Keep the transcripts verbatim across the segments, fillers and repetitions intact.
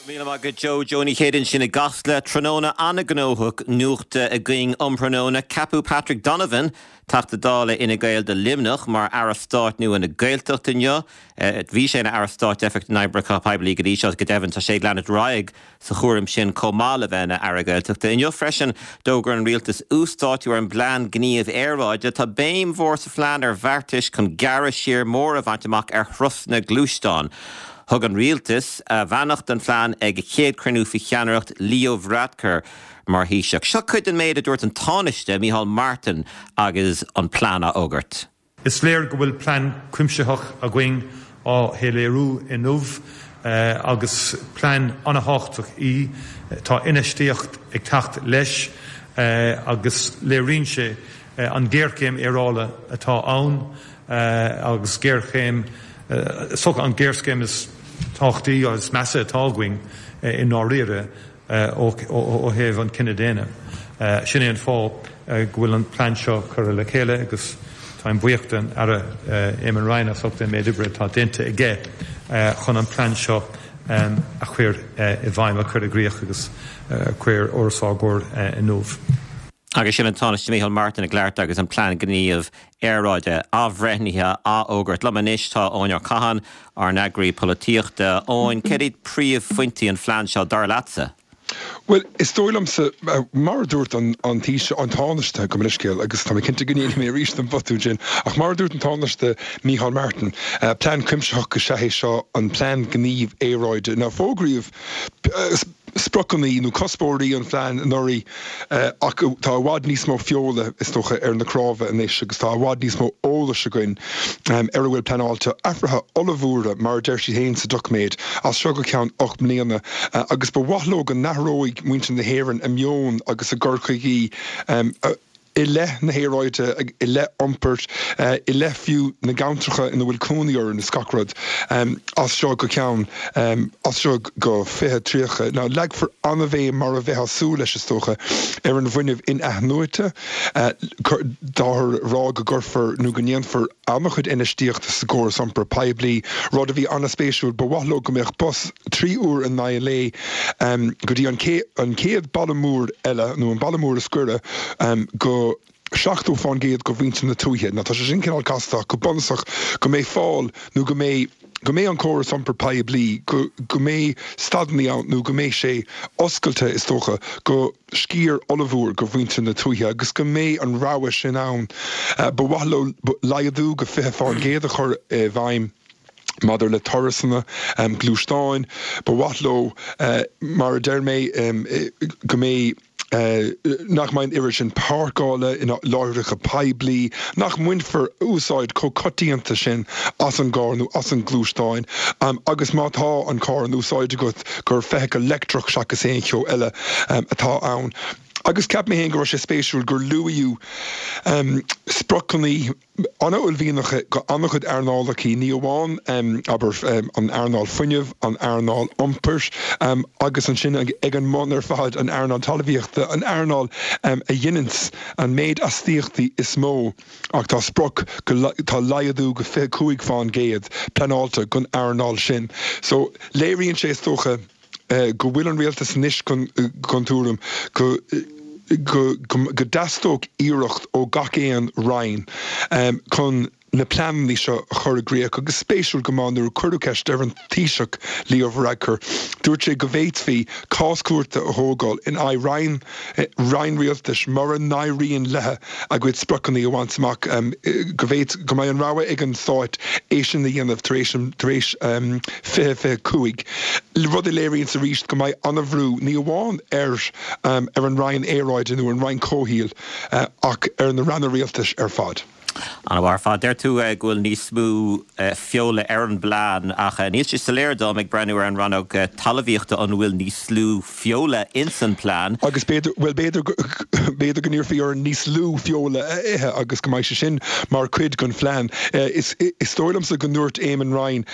Míle maith agat Joe Joe Ní Chéide ansin i gCasla tráthnóna an-ghnóthach nuachta againn um thráthnóna ceapadh Patrick Donovan Teachta Dála Fhine Gael do Luimneach mar Aire Stáit nua na Gaeltachta inniu. Bhí sé ina Aire Stáit d'Oifig na nOibreacha Poiblí go dtí seo go deimhin tá sé ag leanacht ar aghaidh sa chúram sin chomh maith le bheith ina Aire Gaeltachta. Inniu freisin d'fhógair an rialtas uasdátú ar an bplean gníomh aeráide tá béim mhór sa phlean ar bheartais chun gearradh siar mór a bhaint amach ar thurasanna gluaisteán. Thug an rialtas a bheannacht don phlean ag a chéad chruinniú faoi cheannaireacht Leo Varadkar mar Thaoiseach. Seo cuid den méid a dúirt an Tánaiste Micheál Martin agus an plean á fhógairt. Is léir go bhfuil plean cuimsitheach againn á shoiléiriú inniu agus plean an-tábhachtach í tá infheistíocht ag teacht leis agus léiríonn sé an géarchéim aeráide atá ann agus géarchéim so an géarchéim is tábhachtaí agus measa atá againn i ndáiríre ó thaobh an cine daonna. Sin é an fáth go bhfuil an plean seo curtha le chéile agus táim buíoch den Aire Eamon Ryan as ucht an méid oibre atá déanta aige chun an plean seo a chur i bhfeidhm a chur i gcrích agus chur os ár gcomhair inniu. Agus sin an Tánaiste Micheál Martin ag labhairt agus an plean gníomh aeráide athbhreithnithe á fhógairt. Liom anois tá Eoin Ó Catháin ár n-eagraí polaitíochta. Eoin, céard iad príomhphointí an phlean seo dar leatsa? Well, is dóigh liomsa mar a dúirt an an Taoiseach an Tánaiste gabh mo leithscéal agus tá mé cinnte go ndéanfaidh mé arís an botún sin, ach mar a dúirt an Tánaiste Micheál Martin, plean cuimsitheach is ea é seo an plean gníomh aeráide. Now fógraíodh spriocanna nó cuspóirí an phlean anuraidh ach tá i bhfad níos mó feola is dócha ar na cnámha anois agus tá i bhfad níos mó eolais againn ar a bhfuil pleanáilte athruithe ollmhóra mar a deir siad féin sa doiciméad as seo go ceann ocht mbliana agus ba mhaith leo go n-athróidh muintir na hÉireann a meon agus a gcur chuige i leith na haeráide i leith iompair i leith fiú na gceantracha ina bhfuil cónaí orainn is gach rud as seo go ceann as seo go fiche tríocha. Now leagfar an-bhéim mar a bheifeá ag súil leis is dócha ar an bhfuinneamh in-athnuaite táthar ag rá go gcuirfear nó go ndéanfar an-chuid infheistíochta sa gcóras iompair poiblí, rud a bhí an-spéisiúil ba mhaith leo go mbeadh bus trí uair in aghaidh lae go dtí an an chéad baile mór eile nó an baile mór is gaire go seachtó faoin gcéad go mhuintir na tuaithe. Now tá sé sin cineál casta go bunúsach go mbeidh fáil nó go mbeidh go mbeidh an córas iompair poiblí go go mbeidh stadanna ann nó go mbeidh sé oscailte is dócha go sciar ollmhór go mhuintir na tuaithe agus go mbeidh an rogha sin ann. Ba mhaith leo laghdú go fiche faoin gcéad a chur i bhfeidhm maidir le turasanna gluaisteáin, ba mhaith leo mar a deir mé go mbeidh nach mbeidh an oiread sin páirceála in láithreacha poiblí, nach mbainfear úsáid chomh coitianta sin as an gcarr nó as an gluaisteán agus má tá an carr in úsáid agat gur feithicil leictreach seachas aon cheo eile atá ann. Agus cheap mé féin go raibh sé spéisiúil gur luadh spriocanna an-uaillmhianacha go an-chuid earnálacha ní amháin abair an earnáil fuinnimh, an earnáil iompair agus ansin ag an mbun ar fad an earnáil talmhaíochta, an earnáil a dhéananns an méid astaíochtaí is mó ach tá sprioc go tá laghdú go fiche cúig faoin gcéad pleanáilte don earnáil sin. So léiríonn sé is dócha go bhfuil an rialtas anois den tuairim go go go dteastódh iarracht ó gach aon roinn chun na pleananna seo a chur i gcrích agus spéisiúil go maith nuair a cuireadh ceist ar an Taoiseach Leo Varadkar, dúirt sé go bhféadfaí cás cúirte a thógáil in aghaidh roinn roinn rialtais mura n-éiríonn léi a gcuid spriocanna a bhaint amach go bhféad go mbeidh an rogha ag an stát é sin a dhéanamh tar éis tar éis fiche fiche cúig. Rud a léiríonn arís go mbeidh an-bhrú ní amháin ar ar an Roinn Aeráide nó an Roinn Comhshaoil ach ar na ranna rialtais ar fad. An-mhaith ar fad. Deir tú go bhfuil níos mó feola ar an bplean ach níl sé soiléir dom ag breathnú ar an rannóg talmhaíochta an bhfuil níos lú feola ins an plean. Agus b'fhéidir, bhuel b'fhéidir b'fhéidir go n-iarrfaí orainn níos lú feola a ithe agus go mbeidh sé sin mar chuid den phlean. Is is dóigh liomsa go ndúirt Eamon Ryan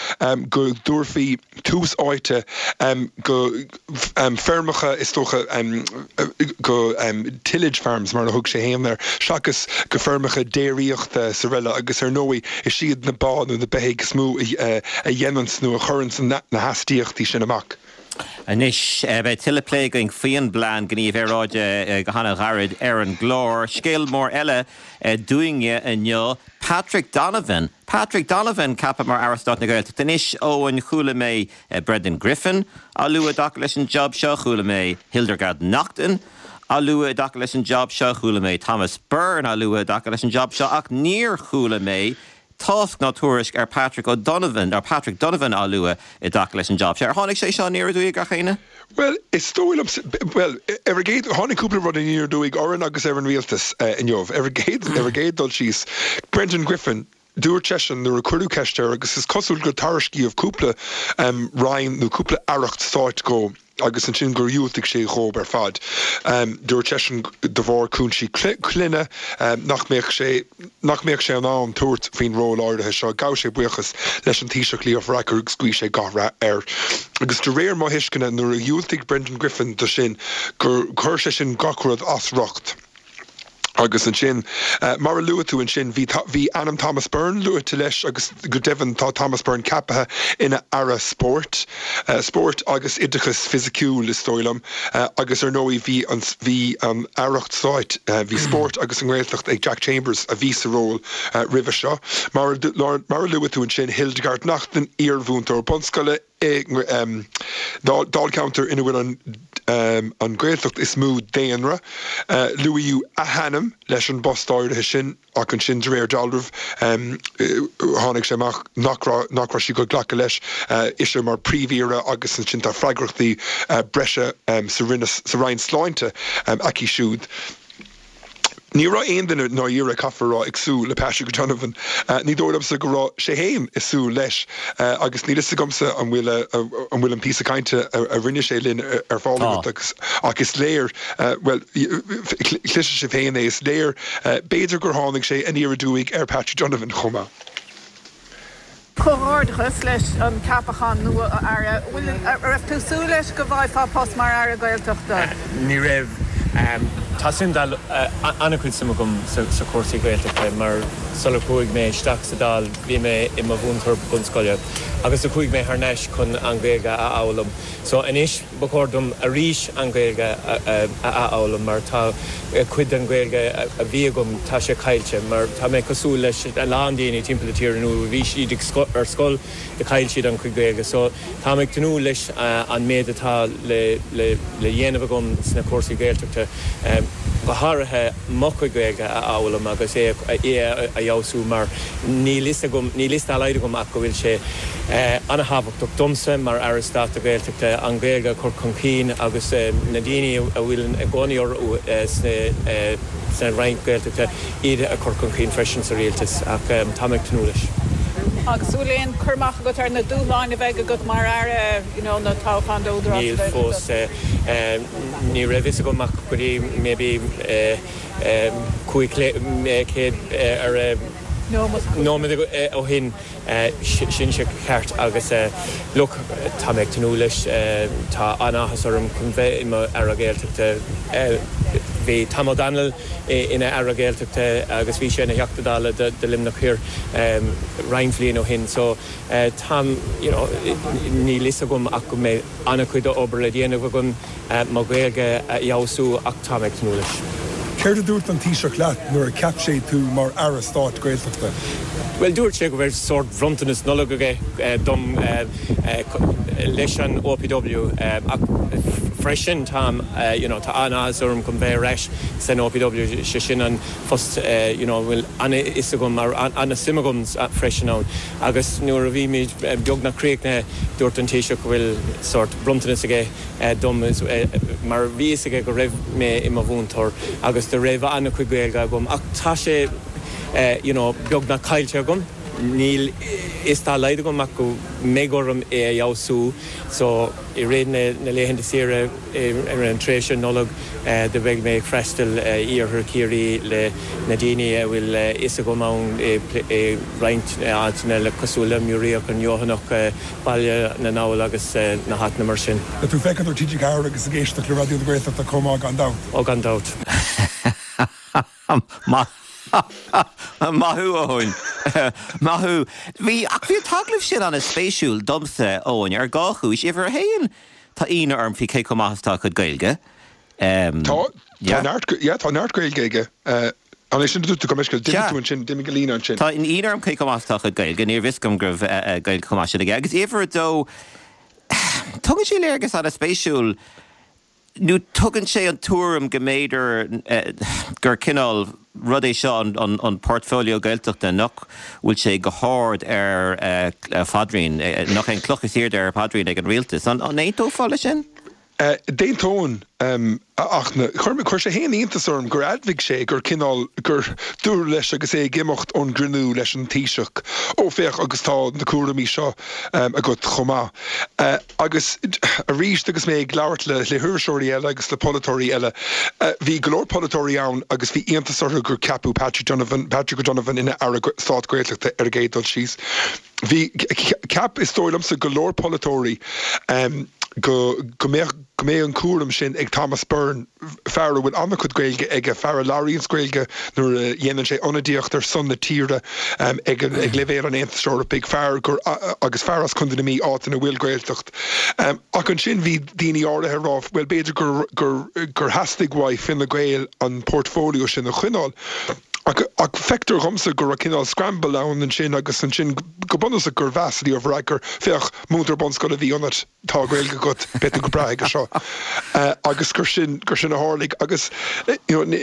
go dtabharfaí tús áite go feirmeacha is dócha go tillage farms mar a thug sé féin air, seachas go feirmeacha déiríochta is araile agus ar ndóigh is iad na ba nó na beithígh is mó a dhéananns nó a chuireanns na hastaíochtaí sin amach. Anois beidh tuilleadh plé againn faoin bplean gníomh aeráide go han-ghairid ar an gclár. Scéal mór eile dúinne inniu, Patrick Donovan. Patrick Donovan ceaptha mar Aire Stáit na Gaeltachta. Anois Eoin chuala mé Brendan Griffin á lua i dtaca leis an job seo, chuala mé Hildegarde Naughton á lua i dtaca leis an job seo, chuala mé Thomas Byrne á lua i dtaca leis an job seo, ach níor chuala mé tásc ná tuairisc ar Patrick O'Donovan ar Patrick Donovan á lua i dtaca leis an job seo. Ar tháinig sé seo aniar aduaidh gach éinne? Well, is dóigh liom well, ar an gcéad tháinig cúpla rud aniar aduaidh orainn agus ar an rialtas uh, inniu. Ar an gcéad ar an gcéad dul síos Brendan Griffin dúirt seisean nuair a cuireadh ceist air agus is cosúil gur tairiscíodh cúpla um, roinn nó cúpla aireacht stáit dó agus ansin gur dhiúltaigh sé dhóibh ar fad. Um, dúirt seisean de bharr cúinsí clainne um, nach mbeadh sé nach mbeadh sé in ann tabhairt faoin ról áirithe seo ghabh sé buíochas leis an Taoiseach Leo Varadkar agus ghuigh sé gach rath air. Agus de réir mo thuisceana nuair a dhiúltaigh Brendan Griffin do sin gur chuir sé sin gach rud as riocht. Agus ansin uh, mar a luaigh tú ansin bhí bhí ainm Thomas Byrne luaite leis agus go deimhin tá Thomas Byrne ceaptha ina aire spóirt, uh, spórt agus oideachas fisiciúil is dóigh liom uh, agus ar ndóigh bhí an bhí an aireacht stáit uh, bhí spórt agus an Ghaeltacht ag Jack Chambers a bhí sa ról uh, roimhe seo. Mar, mar a luaigh tú ansin Hildegarde Naughton iarmhúinteoir bunscoile um, Dáilcheantar ina bhfuil an um, an Ghaeltacht is mó daonra. Uh, Luaíodh a hainm leis an bpost áirithe sin ach ansin de réir dealraimh um, tháinig sé amach nach nach raibh sí go glacadh leis uh, ise mar príomh-aire agus ansin tá freagrachtaí uh, breise um, sa sa Roinn Sláinte um, aici siúd. Ní raibh aon duine dáiríre caithfear a rá ag súil le Patrick Donovan uh, ní dóigh liomsa go raibh sé féin ag súil leis uh, agus níl a fhios agamsa an bhfuil an bhfuil an píosa cainte a, a rinne sé linn ar fáil agus ach is léir uh, well cloisfidh sibh féin é is léir uh, b'fhéidir gur tháinig sé aniar aduaidh ar Patrick Donovan chomh maith. Comhghairdeachas leis an ceapachán nua aire raibh tú ag súil leis go bhfaighfeá post mar aire Gaeltachta. Ní raibh Tá sin an-chuid suim agam sa chúrsaí Gaeltachta mar sular chuaigh mé isteach sa Dáil bhí mé i mo mhúinteoir bunscoile agus a chuaigh mé thar n-ais chun an Ghaeilge a fhoghlaim. So anois ba chóir dom arís an Ghaeilge a fhoghlaim mar tá cuid den Ghaeilge a bhí agam tá sé caillte mar tá mé cosúil leis a lán daoine timpeall na tíre nó bhí siad ar scoil de chaill siad an chuid Gaeilge. So tá mé ag tnúth leis an méid atá le le le dhéanamh agam sna cúrsaí Gaeltachta. go háirithe mo chuid Gaeilge a fhoghlaim agus é é a fheabhsú mar níl a fhios agam níl a fhios dá laghad agam ach go bhfuil sé an-thábhachtach domsa mar Aire Stáit Gaeltachta an Ghaeilge a chur chun cinn agus na daoine a bhfuil i gcónaí sna Roinn Gaeltachta iad a chur chun cinn freisin sa rialtas ach tá mé ag tnúth leis. Agus bhfuil aon chur amach agat ar na dúshláin a bheidh agat mar aire you know, na toghchán d'Údarás Níl fós ní raibh a fhios agam ach go dtí maybe cúig céad ar nóiméad ó shin sin sé ceart agus look tá mé ag tnúth leis tá an-áthas orm chun bheith i mo aire Gaeltachta bhí Tom O'Donnell ina aire Gaeltachta agus bhí sé ina Theachta Dála de Luimneach Thiar roinnt bliain ó shin so tá you know, níl a fhios agam ach go mbeidh an-chuid obair le déanamh agam mo Ghaeilge a fheabhsú ach tá mé ag tnúth leis. Céard a dúirt an Taoiseach leat nuair a cheap sé tú mar aire stáit Gaeltachta? Well dúirt sé go bhfuil sórt bronntanas Nollag aige dom leis an OPW ach freisin tá you know, tá an-áthas orm chun bheith ar ais san OPW sé sin an post you know, bhfuil an-fhios agam mar an-suim agam freisin ann agus nuair a bhí mé beagnach críochnaithe dúirt an Taoiseach go bhfuil sórt bronntanas aige dom mar bhí a fhios aige go raibh mé i mo mhúinteoir agus do raibh an-chuid Gaeilge agam ach tá sé you know, beagnach caillte agam níl a fhios dá laghad agam ach go mbeidh orm é a fheabhsú so i rith na, na laethanta saoire ar an tréimhse Nollag do bheidh mé ag freastal iarthar Chiarraí le na daoine a bhfuil a fhios agam ann i roinnt áiteanna le cosúil le Muiríoch an Feothanach Baile na nGall agus na háiteanna mar sin. Tá tú ag féachaint ar TG Ceathair agus ag éisteacht le Raidió na Gaeltachta chomh maith gan dabht. Ó gan dabht. Maith Maith thú Eoin. Maith thú. Bhí ach bhí an t-agallamh sin an-spéisiúil domsa Eoin ar dhá chúis uimhir a haon. tá ionadh orm faoi cé chomh maith is atá a chuid Gaeilge. Tá, tá neart, yeah, tá neart Gaeilge aige. An é sin a dúirt tú, gabh mo leithscéal, d'imigh tú ansin, d'imigh an líne ansin. Tá ionadh orm cé chomh maith is atá a chuid Gaeilge, níorbh fhios agam go raibh Gaeilge chomh maith sin aige. Agus uimhir a dó, tugann sé léargas an-spéisiúil, nó tugann sé an tuairim go mb'fhéidir gur cineál rud é seo an an portfolio Gaeltachta nach bhfuil sé go hard ar a phaidrín, nach é an cloch is airde ar a phaidrín ag an rialtas. An aontófá leis sin? D'aontóinn, ach chuir sé féin iontas orm gur admhaigh sé gur cineál, gur dúradh leis agus é ag imeacht ón gcruinniú leis an Taoiseach, Ó, féach, agus tá na cúraimí seo agat chomh maith. Agus arís agus mé ag labhairt le hiriseoirí eile agus le polaiteoirí eile, bhí go leor polaiteoirí ann agus bhí iontas orthu gur ceapadh Patrick Donovan, Patrick O'Donovan ina Aire Stáit Gaeltachta ar an gcéad dul síos. Bhí, cheap, is dóigh liomsa, go leor polaiteoirí go go mbeadh go mbeadh an cúram sin ag Thomas Byrne, fear a bhfuil an-chuid Gaeilge aige, fear a labhraíonns Gaeilge nuair a dhéanann sé ionadaíocht ar son na tíre ag ag leibhéal an Aontais Eorpaigh, fear gur agus fear as Contae na Mí, áit ina bhfuil Gaeltacht. Ach ansin bhí daoine áirithe ag rá, bhuel b'fhéidir gur gur gur theastaigh uaidh Fine Gael an portfolio sin a choinneáil. Ach ach feictear dhomsa go raibh cineál scramble ann ansin agus ansin go bunúsach gur mheas Leo Varadkar, féach, múinteoir bunscoile a bhí ionat, tá Gaeilge agat, beidh tú go breá aige seo. Agus gur sin, gur sin a tharlaigh agus you know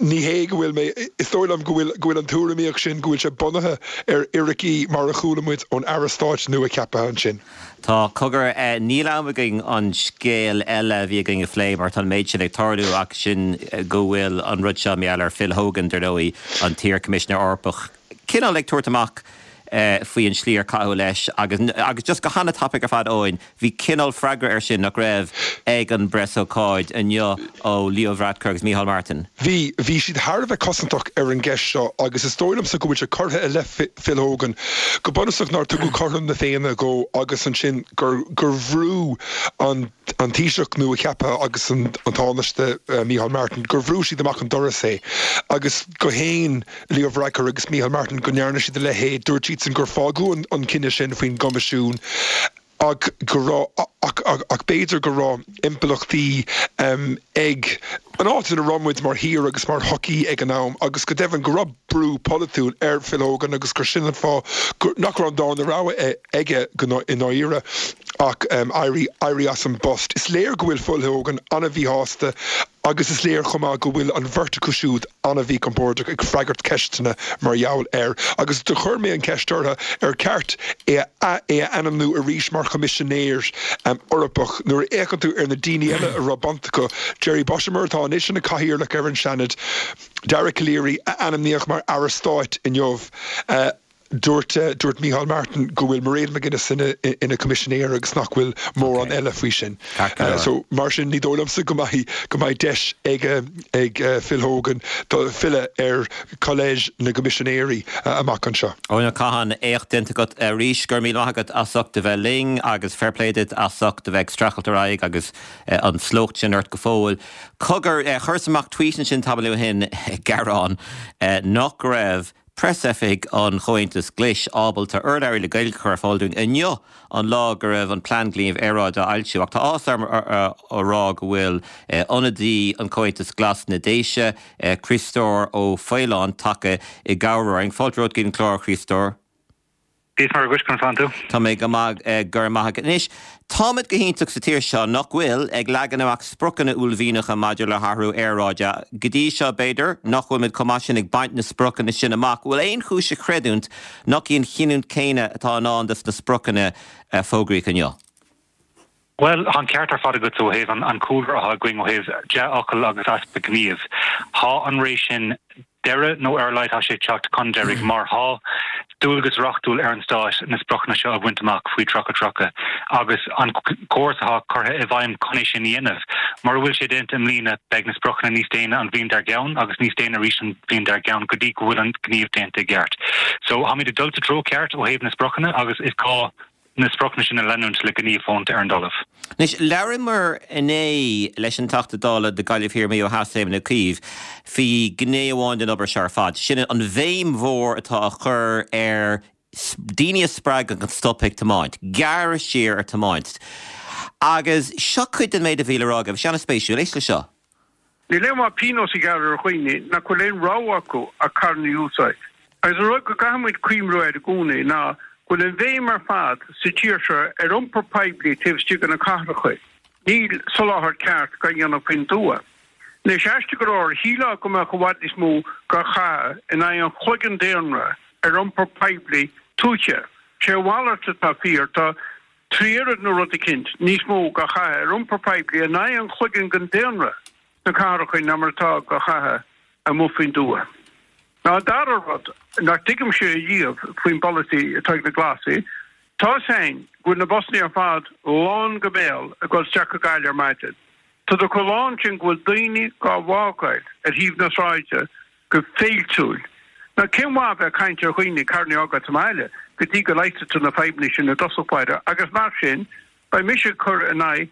ní hé go bhfuil mé, is dóigh liom go bhfuil, go bhfuil an tuairimíocht sin, go bhfuil sé bunaithe ar fhíricí mar a chuala muid ón Aire Stáit nua-cheaptha ansin. Tá, cogar, níl am againn an scéal eile a bhí againn a phlé mar tá an méid sin ag tarlú ach sin go bhfuil an rud seo mar gheall ar Phil Hogan, dar ndóigh, an t-iar-Choimisinéir Eorpach, cineál ag tabhairt amach faoi an slí ar caitheadh leis agus, agus just go han-tapaidh ar fad Eoin, bhí cineál freagra air sin nach raibh ag an bpreasócáid inniu ó Leo Varadkar agus Micheál Martin. Bhí, bhí siad thar a bheith cosantach ar an gceist seo agus is dóigh liomsa go bhfuil sé curtha i leith Phil Hogan go bunúsach nár tugadh cothrom na Féinne dhó agus ansin gur gur bhrú an an Taoiseach nua-cheaptha agus an an Tánaiste Micheál Martin, gur bhrú siad amach an doras é agus gur shéan Leo Varadkar agus Micheál Martin go ndearna siad a leithéid. Dúirt siadsan gur fágadh an an cinneadh sin faoin gCoimisiún ach go raibh ach ach b'fhéidir go raibh impleachtaí ag an áit ina raibh muid mar thír agus mar shochaí ag an am agus go deimhin go raibh brú polaitiúil ar Phil Hogan agus gur sin an fáth gur nach raibh an darna rogha aige i ndáiríre ach éirí éirí as an bpost. Is léir go bhfuil Phil Hogan an-mhíshásta Agus is léir chomh maith go bhfuil an bheirt acu siúd an-mhíchompordach ag freagairt ceisteanna mar gheall air. Agus do chuir mé an cheist orthu ar cheart é a é a ainmniú arís mar Choimisinéir Eorpach. Nuair a fhéachann tú ar na daoine eile a raibh baint acu, Jerry Boshimer atá anois ina Chathaoirleach ar an Seanad, Dara Calleary a ainmníodh mar Aire Stáit inniu, Dúirt dúirt Micheál Martin go bhfuil Mairead McGuinness ina ina Coimisinéir agus nach bhfuil mórán eile faoi sin. So mar sin ní dóigh liomsa go mbeidh go mbeidh deis ag ag Phil Hogan do filleadh ar Collège na gCoimisinéirí amach anseo. Eoin Ó Catháin, éacht déanta agat arís. Go raibh míle maith agat as ucht a bheith linn agus fair play duit as ucht a bheith ag streachailt ar aghaidh agus an slócht sin ort go fóill. Cogar, chuireas amach tweet ansin tamall ó shin ag gearán nach raibh Preasoifig an Chomhaontais Ghlais ábalta urlabhraí le Gaeilge a chur ar fáil dúinn inniu, an lá go raibh an Plean Gnímh Aeráide á fhoilsiú. Ach tá áthas orm a rá go bhfuil ionadaí an Chomhaontais Ghlais sna Déise, Criostóir Ó Faoláin, tagtha i gcabhair orainn. Fáilte romhat go dtí an clár, a Chriostóir. Dia is Muire dhuit, conas tánn tú? Tá mé go maith, go raibh maith agat. Anois, táimid go hiontach sa tír seo, nach bhfuil, ag leagan amach spriocanna uaillmhianacha maidir le hathrú aeráide. Go dtí seo, b'fhéidir, nach bhfuilimid chomh maith sin ag baint na spriocanna sin amach. Bhfuil aon chúis a chreidiúint nach í an chinniúint chéanna atá i ndán dos na spriocanna a fógraíodh inniu? Bhuel, tá an ceart ar fad agatsa ó thaobh an cúlra atá againn ó thaobh dea-fhocal agus easpa gnímh. Tá an ré sin deireadh, nó ar a laghad tá sé ag teacht chun deiridh, mar tá dualgas reachtúil ar an Stát na spriocanna seo a bhaint amach faoi tríocha tríocha agus an córas atá curtha i bhfeidhm chun é sin a dhéanamh. Mura bhfuil sé déanta i mbliana, beidh na spriocanna níos déine an bhliain dár gceann agus níos déine arís an bhliain dár gceann go dtí go bhfuil an gníomh déanta i gceart. So, táimid ag dul sa treo ceart ó thaobh na spriocanna agus is gá na spriocanna sin a leanúint le gníomh fónta ar an dtalamh. Anois, labhraíomar inné leis an Teachta Dála do Ghaillimh Thiar Maigh Eo Theas, Éamon Ó Cuív, faoi ghné amháin den obair seo ar fad, sin an bhéim mhór atá á chur ar daoine a spreagadh chun stop ag tiomáint, gearradh siar ar tiomáint. Agus seo cuid den méid a bhí le rá aige, bhí sé an-spéisiúil, éist le seo. Níl aon mhaith pionós a ghearradh ar dhaoine nach bhfuil aon rogha acu ach carranna a úsáid. Agus an rud go gcaithfimid cuimhniú air i gcónaí ná go bhfuil an bhéim ar fad sa tír seo ar iompar poiblí taobh istigh de na cathracha. Níl soláthar ceart á dhéanamh faoin tuath. Anois, aisteach go leor, shílfeá go mbeadh i bhfad níos mó á chaitheamh in aghaidh an chloigeann daonra ar iompar poiblí tuaithe. Sé a mhalairt atá fíor, tá trí oiread nó rud eicínt níos mó á chaitheamh ar iompar poiblí in aghaidh an chloigeann den daonra sna cathracha ná mar atá á chaitheamh amuigh faoin dtuath. Now an dara rud nach dtuigimse ariamh faoin bpolasaí atá ag na Glasaigh, tá a fhios againn go bhfuil na busanna ar fad lán go béal ag dul isteach go Gaillimh ar maidin. Tá siad chomh lán sin go bhfuil daoine dhá bhfágáil ar thaobh na sráide go féiltiúil. Now cén mhaith bheith ag caint ar dhaoine carranna a fhágáil sa mbaile go dtí go leigheasfaidh tú na fadhbanna sin i dtosach báire agus mar sin beidh mise ag cur in aghaidh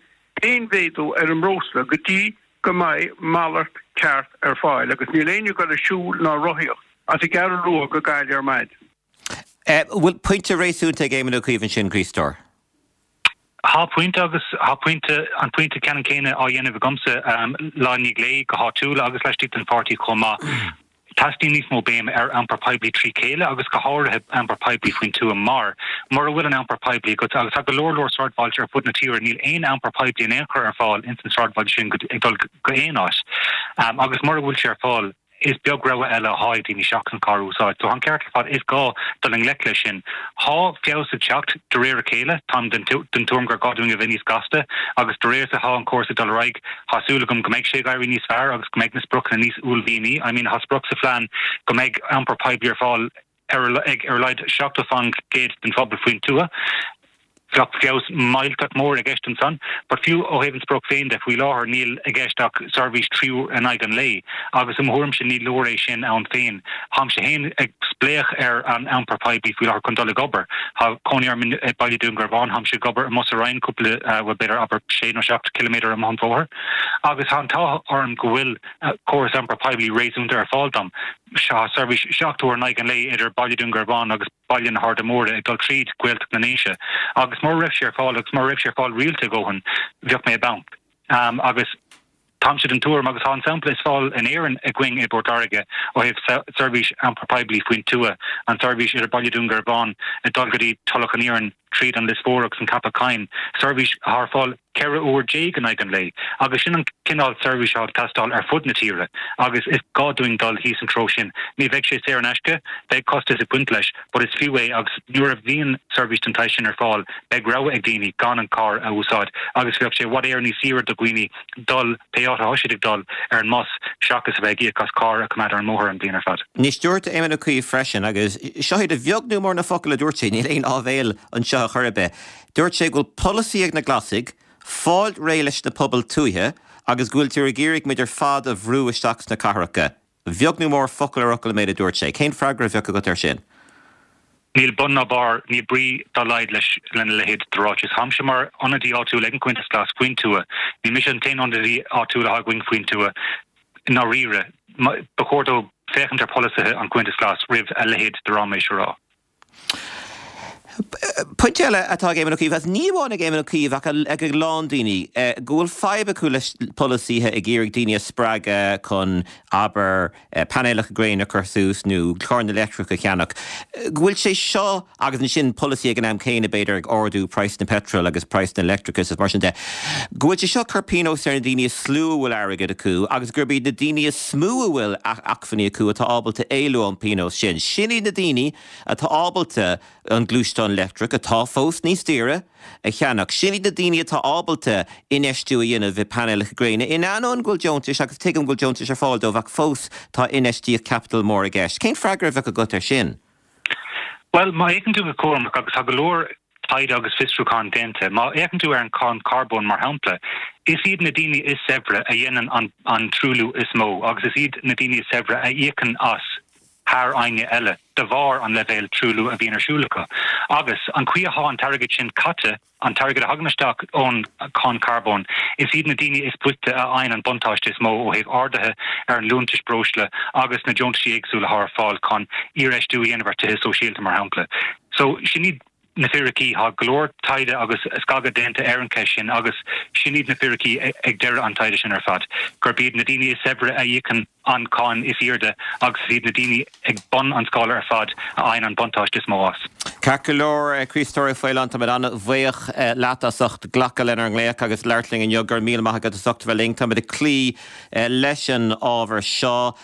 aon mhéadú ar an mbreosla go dtí go mbeidh malairt ceart ar fáil agus níl éinne ag dul ag siúl ná rothaíocht as an gCeathrú Rua go Gaillimh ar maidin. Bhfuil pointe réasúnta ag Éamon Ó Cuív ansin, Críostóir? Tá pointe agus tá pointe, an pointe ceannann céanna á dhéanamh agamsa lá i ndiaidh lae go háitiúil agus laistigh den pháirtí chomh maith. Teastaíonn níos mó béime ar iompar poiblí trí chéile agus go háirithe iompar poiblí faoin tuath mar, mura bhfuil an iompar poiblí agat, agus tá go leor leor sráidbhailte ar fud na tíre, níl aon iompar poiblí in aon chor ar fáil ins an sráidbhaile sin ag dul go aon áit. Agus mura bhfuil sé ar fáil, is beag rogha eile atá ag daoine seachas an carr a úsáid. So tá an ceart ar fad, is gá dul i ngleic leis sin. Tá feabhas ag teacht de réir a chéile, táim den tuairim gur gá dúinn a bheith níos gasta agus de réir is atá an córas ag dul ar aghaidh, tá súil agam go mbeidh sé ag éirí níos fearr agus go mbeidh na spriocanna níos uaillmhianaí. I mean, tá sprioc sa phlean go mbeidh iompar poiblí ar fáil ar ag ar a laghad seachtó faoin gcéad den phobal faoin tuath. Bheadh feabhas millteach mór i gceist ansan. But fiú ó thaobh an sprioc féin de, faoi láthair níl i gceist ach seirbhís trí uair in aghaidh an lae agus i mo thuairimse ní leor é sin ann féin. Táimse féin ag spléach ar an iompar poiblí faoi láthair chun dul ag obair. Tá cónaí orm i Baile Dúin Garbhán, táimse ag obair i mBus Éireann cúpla, bhuel b'fhéidir abair sé nó seacht ciliméadar amach an bhóthar agus tá an t-ádh orm go bhfuil córas iompar poiblí réasúnta ar fáil dom. Tá seirbhís seacht uair in aghaidh an lae idir Baile Dúin Garbhán agus Baile na hArda Móire ag dul tríd Gaeltacht na nDéise agus mura raibh sé ar fáil agus mura raibh sé ar fáil rialta a dhóthain, bheadh mé i bponc. Agus táimse den tuairim, agus tá an sampla is fearr in Éirinn againn i bPort Láirge ó thaobh seirbhís iompair poiblí faoin tuath, an tseirbhís idir Baile Dúin Garbhán ag dul go dtí Tulach an Iarainn tríd an Lios Mhór agus an Ceapach Choinn, seirbhís atá ar fáil ceithre uair déag in aghaidh an lae agus sin an cineál seirbhís atá ag teastáil ar fud na tíre agus is gá dúinn dul thíos an treo sin. Ní bheidh sé saor in aisce, beidh costas ag baint leis, but is fiú é agus nuair a bhíonn seirbhís den tsaghas sin ar fáil beidh rogha ag daoine gan an carr a úsáid agus bheadh sé i bhfad Éireann níos saoire do dhaoine dul pé áit atá siad ag dul ar an mbus seachas a bheith ag íoc as carr a choimeád ar an mbóthar an bhliain ar fad. Anois dúirt Éamon Ó Cuív freisin, agus seo iad a bheag nó mór na focail a dúirt sé, níl aon áibhéil anseo a chor ar bith, dúirt sé go bhfuil polasaí ag na Glasaigh fáil réidh leis na pobail tuaithe agus go bhfuiltear ag iarraidh muid ar fad a bhrú isteach sna cathracha. A bheag nó mór focal ar fhocal an méid a dúirt sé. Cén freagra a bheadh agat air sin? Níl bun ná barr, níl brí dá laghad leis lena leithéid de ráiteas. Táimse mar ionadaí áitiúil ag an Chomhaontas Glas faoin tuath. Ní mise an t-aon ionadaí áitiúil atá againn faoin tuath. I ndáiríre, ba chóir dó féachaint ar pholasaithe an Chomhaontais Ghlais roimh a leithéid de ráiméis a rá. Pointe eile atá ag Éamon Ó Cuív, agus ní amháin ag Éamon Ó Cuív ach ag a lán daoine, go bhfuil fadhb acu leis polasaithe ag iarraidh daoine a spreagadh chun, abair, painéalacha gréine a chur suas nó carranna leictreacha a cheannach, go bhfuil sé seo, agus ansin polasaí ag an am céanna b'fhéidir ag ardú praghas na peitril agus praghas na leictreachais is mar sin de, go bhfuil sé seo ag cur pionós ar na daoine is lú a bhfuil airgead acu agus gurb iad na daoine is mó a bhfuil acmhainní acu atá ábalta éalú ón bpionós sin. Sin iad na daoine atá ábalta an gluaisteán leictreach, atá fós níos daoire, a cheannach. Sin iad na daoine atá ábalta infheistiú a dhéanamh i bpainéalacha gréine, in ainneoin go bhfuil deontais, agus tuigim go bhfuil deontais ar fáil dóibh, ach fós tá infheistíocht caipitil mór i gceist. Cén freagra a bheadh agat air sin? Bhuel, má fhéachann tú go cúramach, agus tá go leor taighde agus fiosrúchán déanta, má fhéachann tú ar an cháin charbóin mar shampla, is iad na daoine is saibhre a dhéanann an truailliú is mó agus is iad na daoine is saibhre a íocann as thar éinne eile de bharr an leibhéal truailliú a bhíonn ar siúl acu. Agus an chaoi atá an t-airgead sin caite, an t-airgead a thagann isteach ón cháin charbóin, is iad na daoine is boichte a fhaigheann an buntáiste is mó ó thaobh arduithe ar an liúntais breosla agus na deontaisí éagsúla atá ar fáil chun iarfheistiú a dhéanamh ar tithe sóisialta, mar shampla. So, sin iad na fíricí tá go leor taighde agus scagadh déanta ar an cheist sin agus sin iad na fíricí ag deireadh an taighde sin ar fad, gurb iad na daoine is saibhre a íocann an cáin is airde agus is iad na daoine ag bun an scála ar fad a fhaigheann an buntáiste is mó as. Ceart go leor, Críostóir Ó Faoláin, táimid an-bhuíoch leat as ucht glacadh lenár nglaoch agus labhairt linn inniu. Go raibh míle maith agat as ucht a bheith linn. Táimid ag cloí leis an ábhar seo.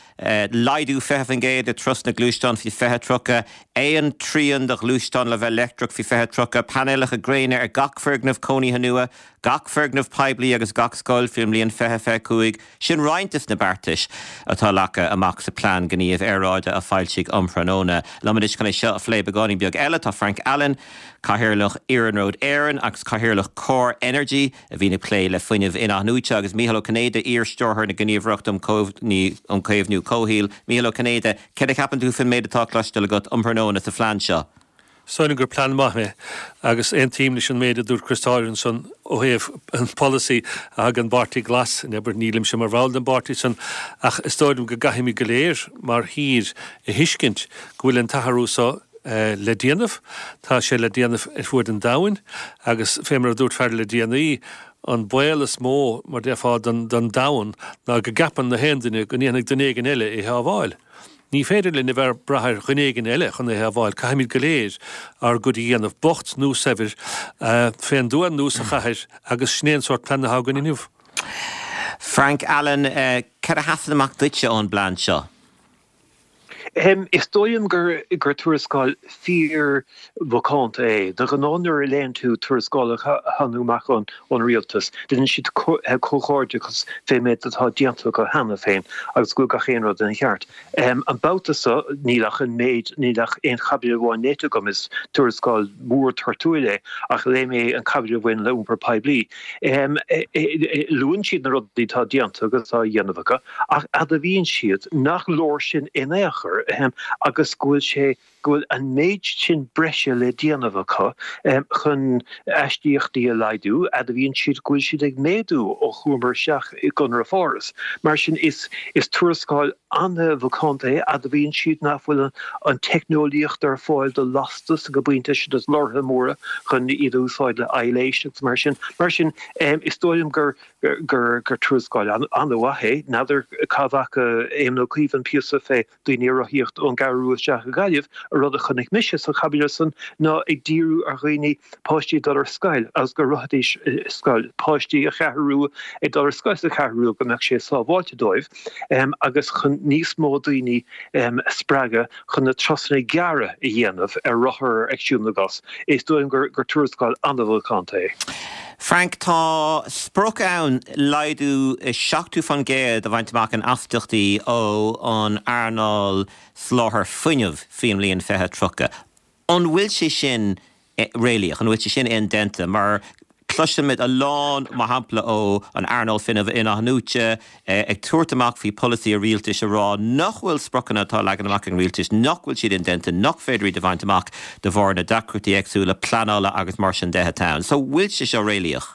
Laghdú fiche faoin gcéad i dturas na ngluaisteán faoi fiche tríocha, aon trian de ghluaisteáin le bheith leictreach faoi fiche tríocha, painéalacha gréine ar gach foirgneamh cónaithe nua, gach foirgneamh poiblí agus gach scoil faoin mbliain fiche fiche cúig. Sin roinnt des na beartais atá leagtha amach sa Plean Gníomh Aeráide a foilsíodh um thráthnóna. Liom anois chun é seo a phlé beagáinín beag eile tá Frank Allen, Cathaoirleach Iarnród Éireann agus Cathaoirleach Core Energy a bhíonn ag plé le fuinneamh in-athnuaite agus Mícheál Ó Cinnéide, iar-stiúrthóir na Gníomhaireachta um Chaomhnú Comhshaoil. Mícheál Ó Cinnéide, céard a cheapann tú faoin méid atá cloiste agat um thráthnóna sa phlean seo? Sílim gur plean maith é agus aontaím leis an méid a dúirt Chris ansan ó thaobh an polasaí a thug an bPáirtí Glas, abair nílimse mar bhall den bpáirtí san ach is dóigh liom go gcaithfimid go léir mar thír a thuiscint go bhfuil an t-athrú seo le déanamh. Tá sé le déanamh ar fuaid an domhain agus fé mar a dúirt fear le déanaí, an baol is mó mar déarfá don domhan ná go gceapann na haon duine go ndéanfaidh duine éigin eile é shábháil. Ní féidir linn a bheith ag brath ar dhuine éigin eile chun é shábháil, caithfimid go léir ár gcuid a dhéanamh, bocht nó saibhir, fén dtuath nó sa chathair agus sin é an sórt plean atá againn inniu. Frank Allen, céard a sheasann amach duitse ón bplean seo? Is dóigh liom gur gur tuarascáil fíor-mhacánta é. De ghnáth nuair a léann tú tuarascálacha a thagann amach ón rialtas, déanann siad comhghairdeachas fén méid atá déanta acu cheana féin agus go bhfuil gach aon rud ina cheart. An babhta seo níl ach an méid, níl ach aon chaibidil amháin léite agam, is tuarascáil mhór toirtiúil é, ach léigh mé an chaibidil a bhain le iompar poiblí. Luann siad na rudaí atá déanta agus á dhéanamh acu, ach admhaíonn siad nach leor sin in aon chor agus go bhfuil sé, go bhfuil an méid sin breise le déanamh acu chun astaíochtaí a laghdú, admhaíonn siad go bhfuil siad ag méadú ó chuamar isteach i gConradh Pháras. Mar sin, is is tuarascáil an-mhacánta é, admhaíonn siad nach bhfuil an teicneolaíocht ar fáil do lastas ag an bpointe seo dos lorraithe móra chun iad a úsáid le aibhléis agus mar sin. Mar sin, is dóigh liom gur gur gur tuarascáil an-mhaith é. N'fheadar cá bhfaca Éamon Ó Cuív an píosa fé daoine ag rothaíocht ón gCeathrú Rua isteach i Gaillimh, an rud a chonaic mise sa chaibidil san ná ag díriú ar dhaoine, páistí ag dul ar scoil agus go rothaidís ar scoil, páistí sa Cheathrú Rua ag dul ar scoil sa Cheathrú Rua go mbeadh sé sábháilte dóibh agus chun níos mó daoine a spreagadh chun na turasanna gearra a dhéanamh ar rothar ag siúl na gcos. Is dóigh liom gur tuarascáil an-mhacánta é. Frank, tá sprioc ann laghdú seachtó faoin gcéad a bhaint amach in astaíochtaí ó an earnáil soláthair fuinnimh faoin mbliain fiche tríocha. An bhfuil sé sin réalaíoch? An bhfuil sé sin indéanta? Mar cloisimid a lán, mar shampla ó an earnáil fuinnimh in-athnuaite, ag tabhairt amach faoi pholasaí an rialtais a rá nach bhfuil spriocanna atá leagan amach ag an rialtas, nach bhfuil siad indéanta, nach féidir iad a bhaint amach de bharr na deacrachtaí éagsúla pleanála agus mar sin de atá ann. So bhfuil sé seo réalaíoch?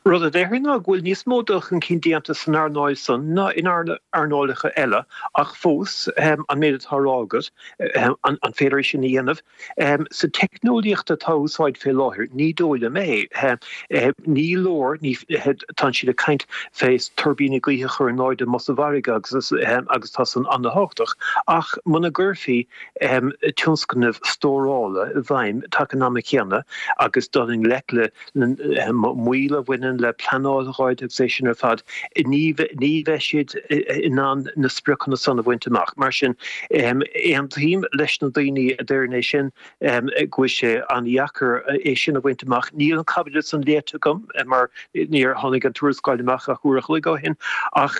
Rud a déarfainn ná go bhfuil níos mó dul chun cinn déanta san earnáil san ná in earnálacha eile ach fós, an méid atá á rá agat, an féidir é sin a dhéanamh? Sa teicneolaíocht atá á úsáid fé láthair, ní dóigh liom é. Ní leor, tá siad ag caint fé tuirbíní gaoithe a chur in airde amuigh sa bhfarraige agus agus tá san an-thábhachtach, ach muna gcuirfí tionscnaimh stórála i bhfeidhm taca an ama chéanna agus dul i ngleic le moill a bhaineann le pleanáil gháid agus é sin ar fad, ní bheidh siad in ann na spriocanna san a bhaint amach. Mar sin, aontaím leis na daoine a deireann é sin, go bhfuil sé an-dheacair é sin a bhaint amach. Níl an caibidil san léite agam mar níor tháinig an tuarascáil amach ach uair a chloig ó shin, ach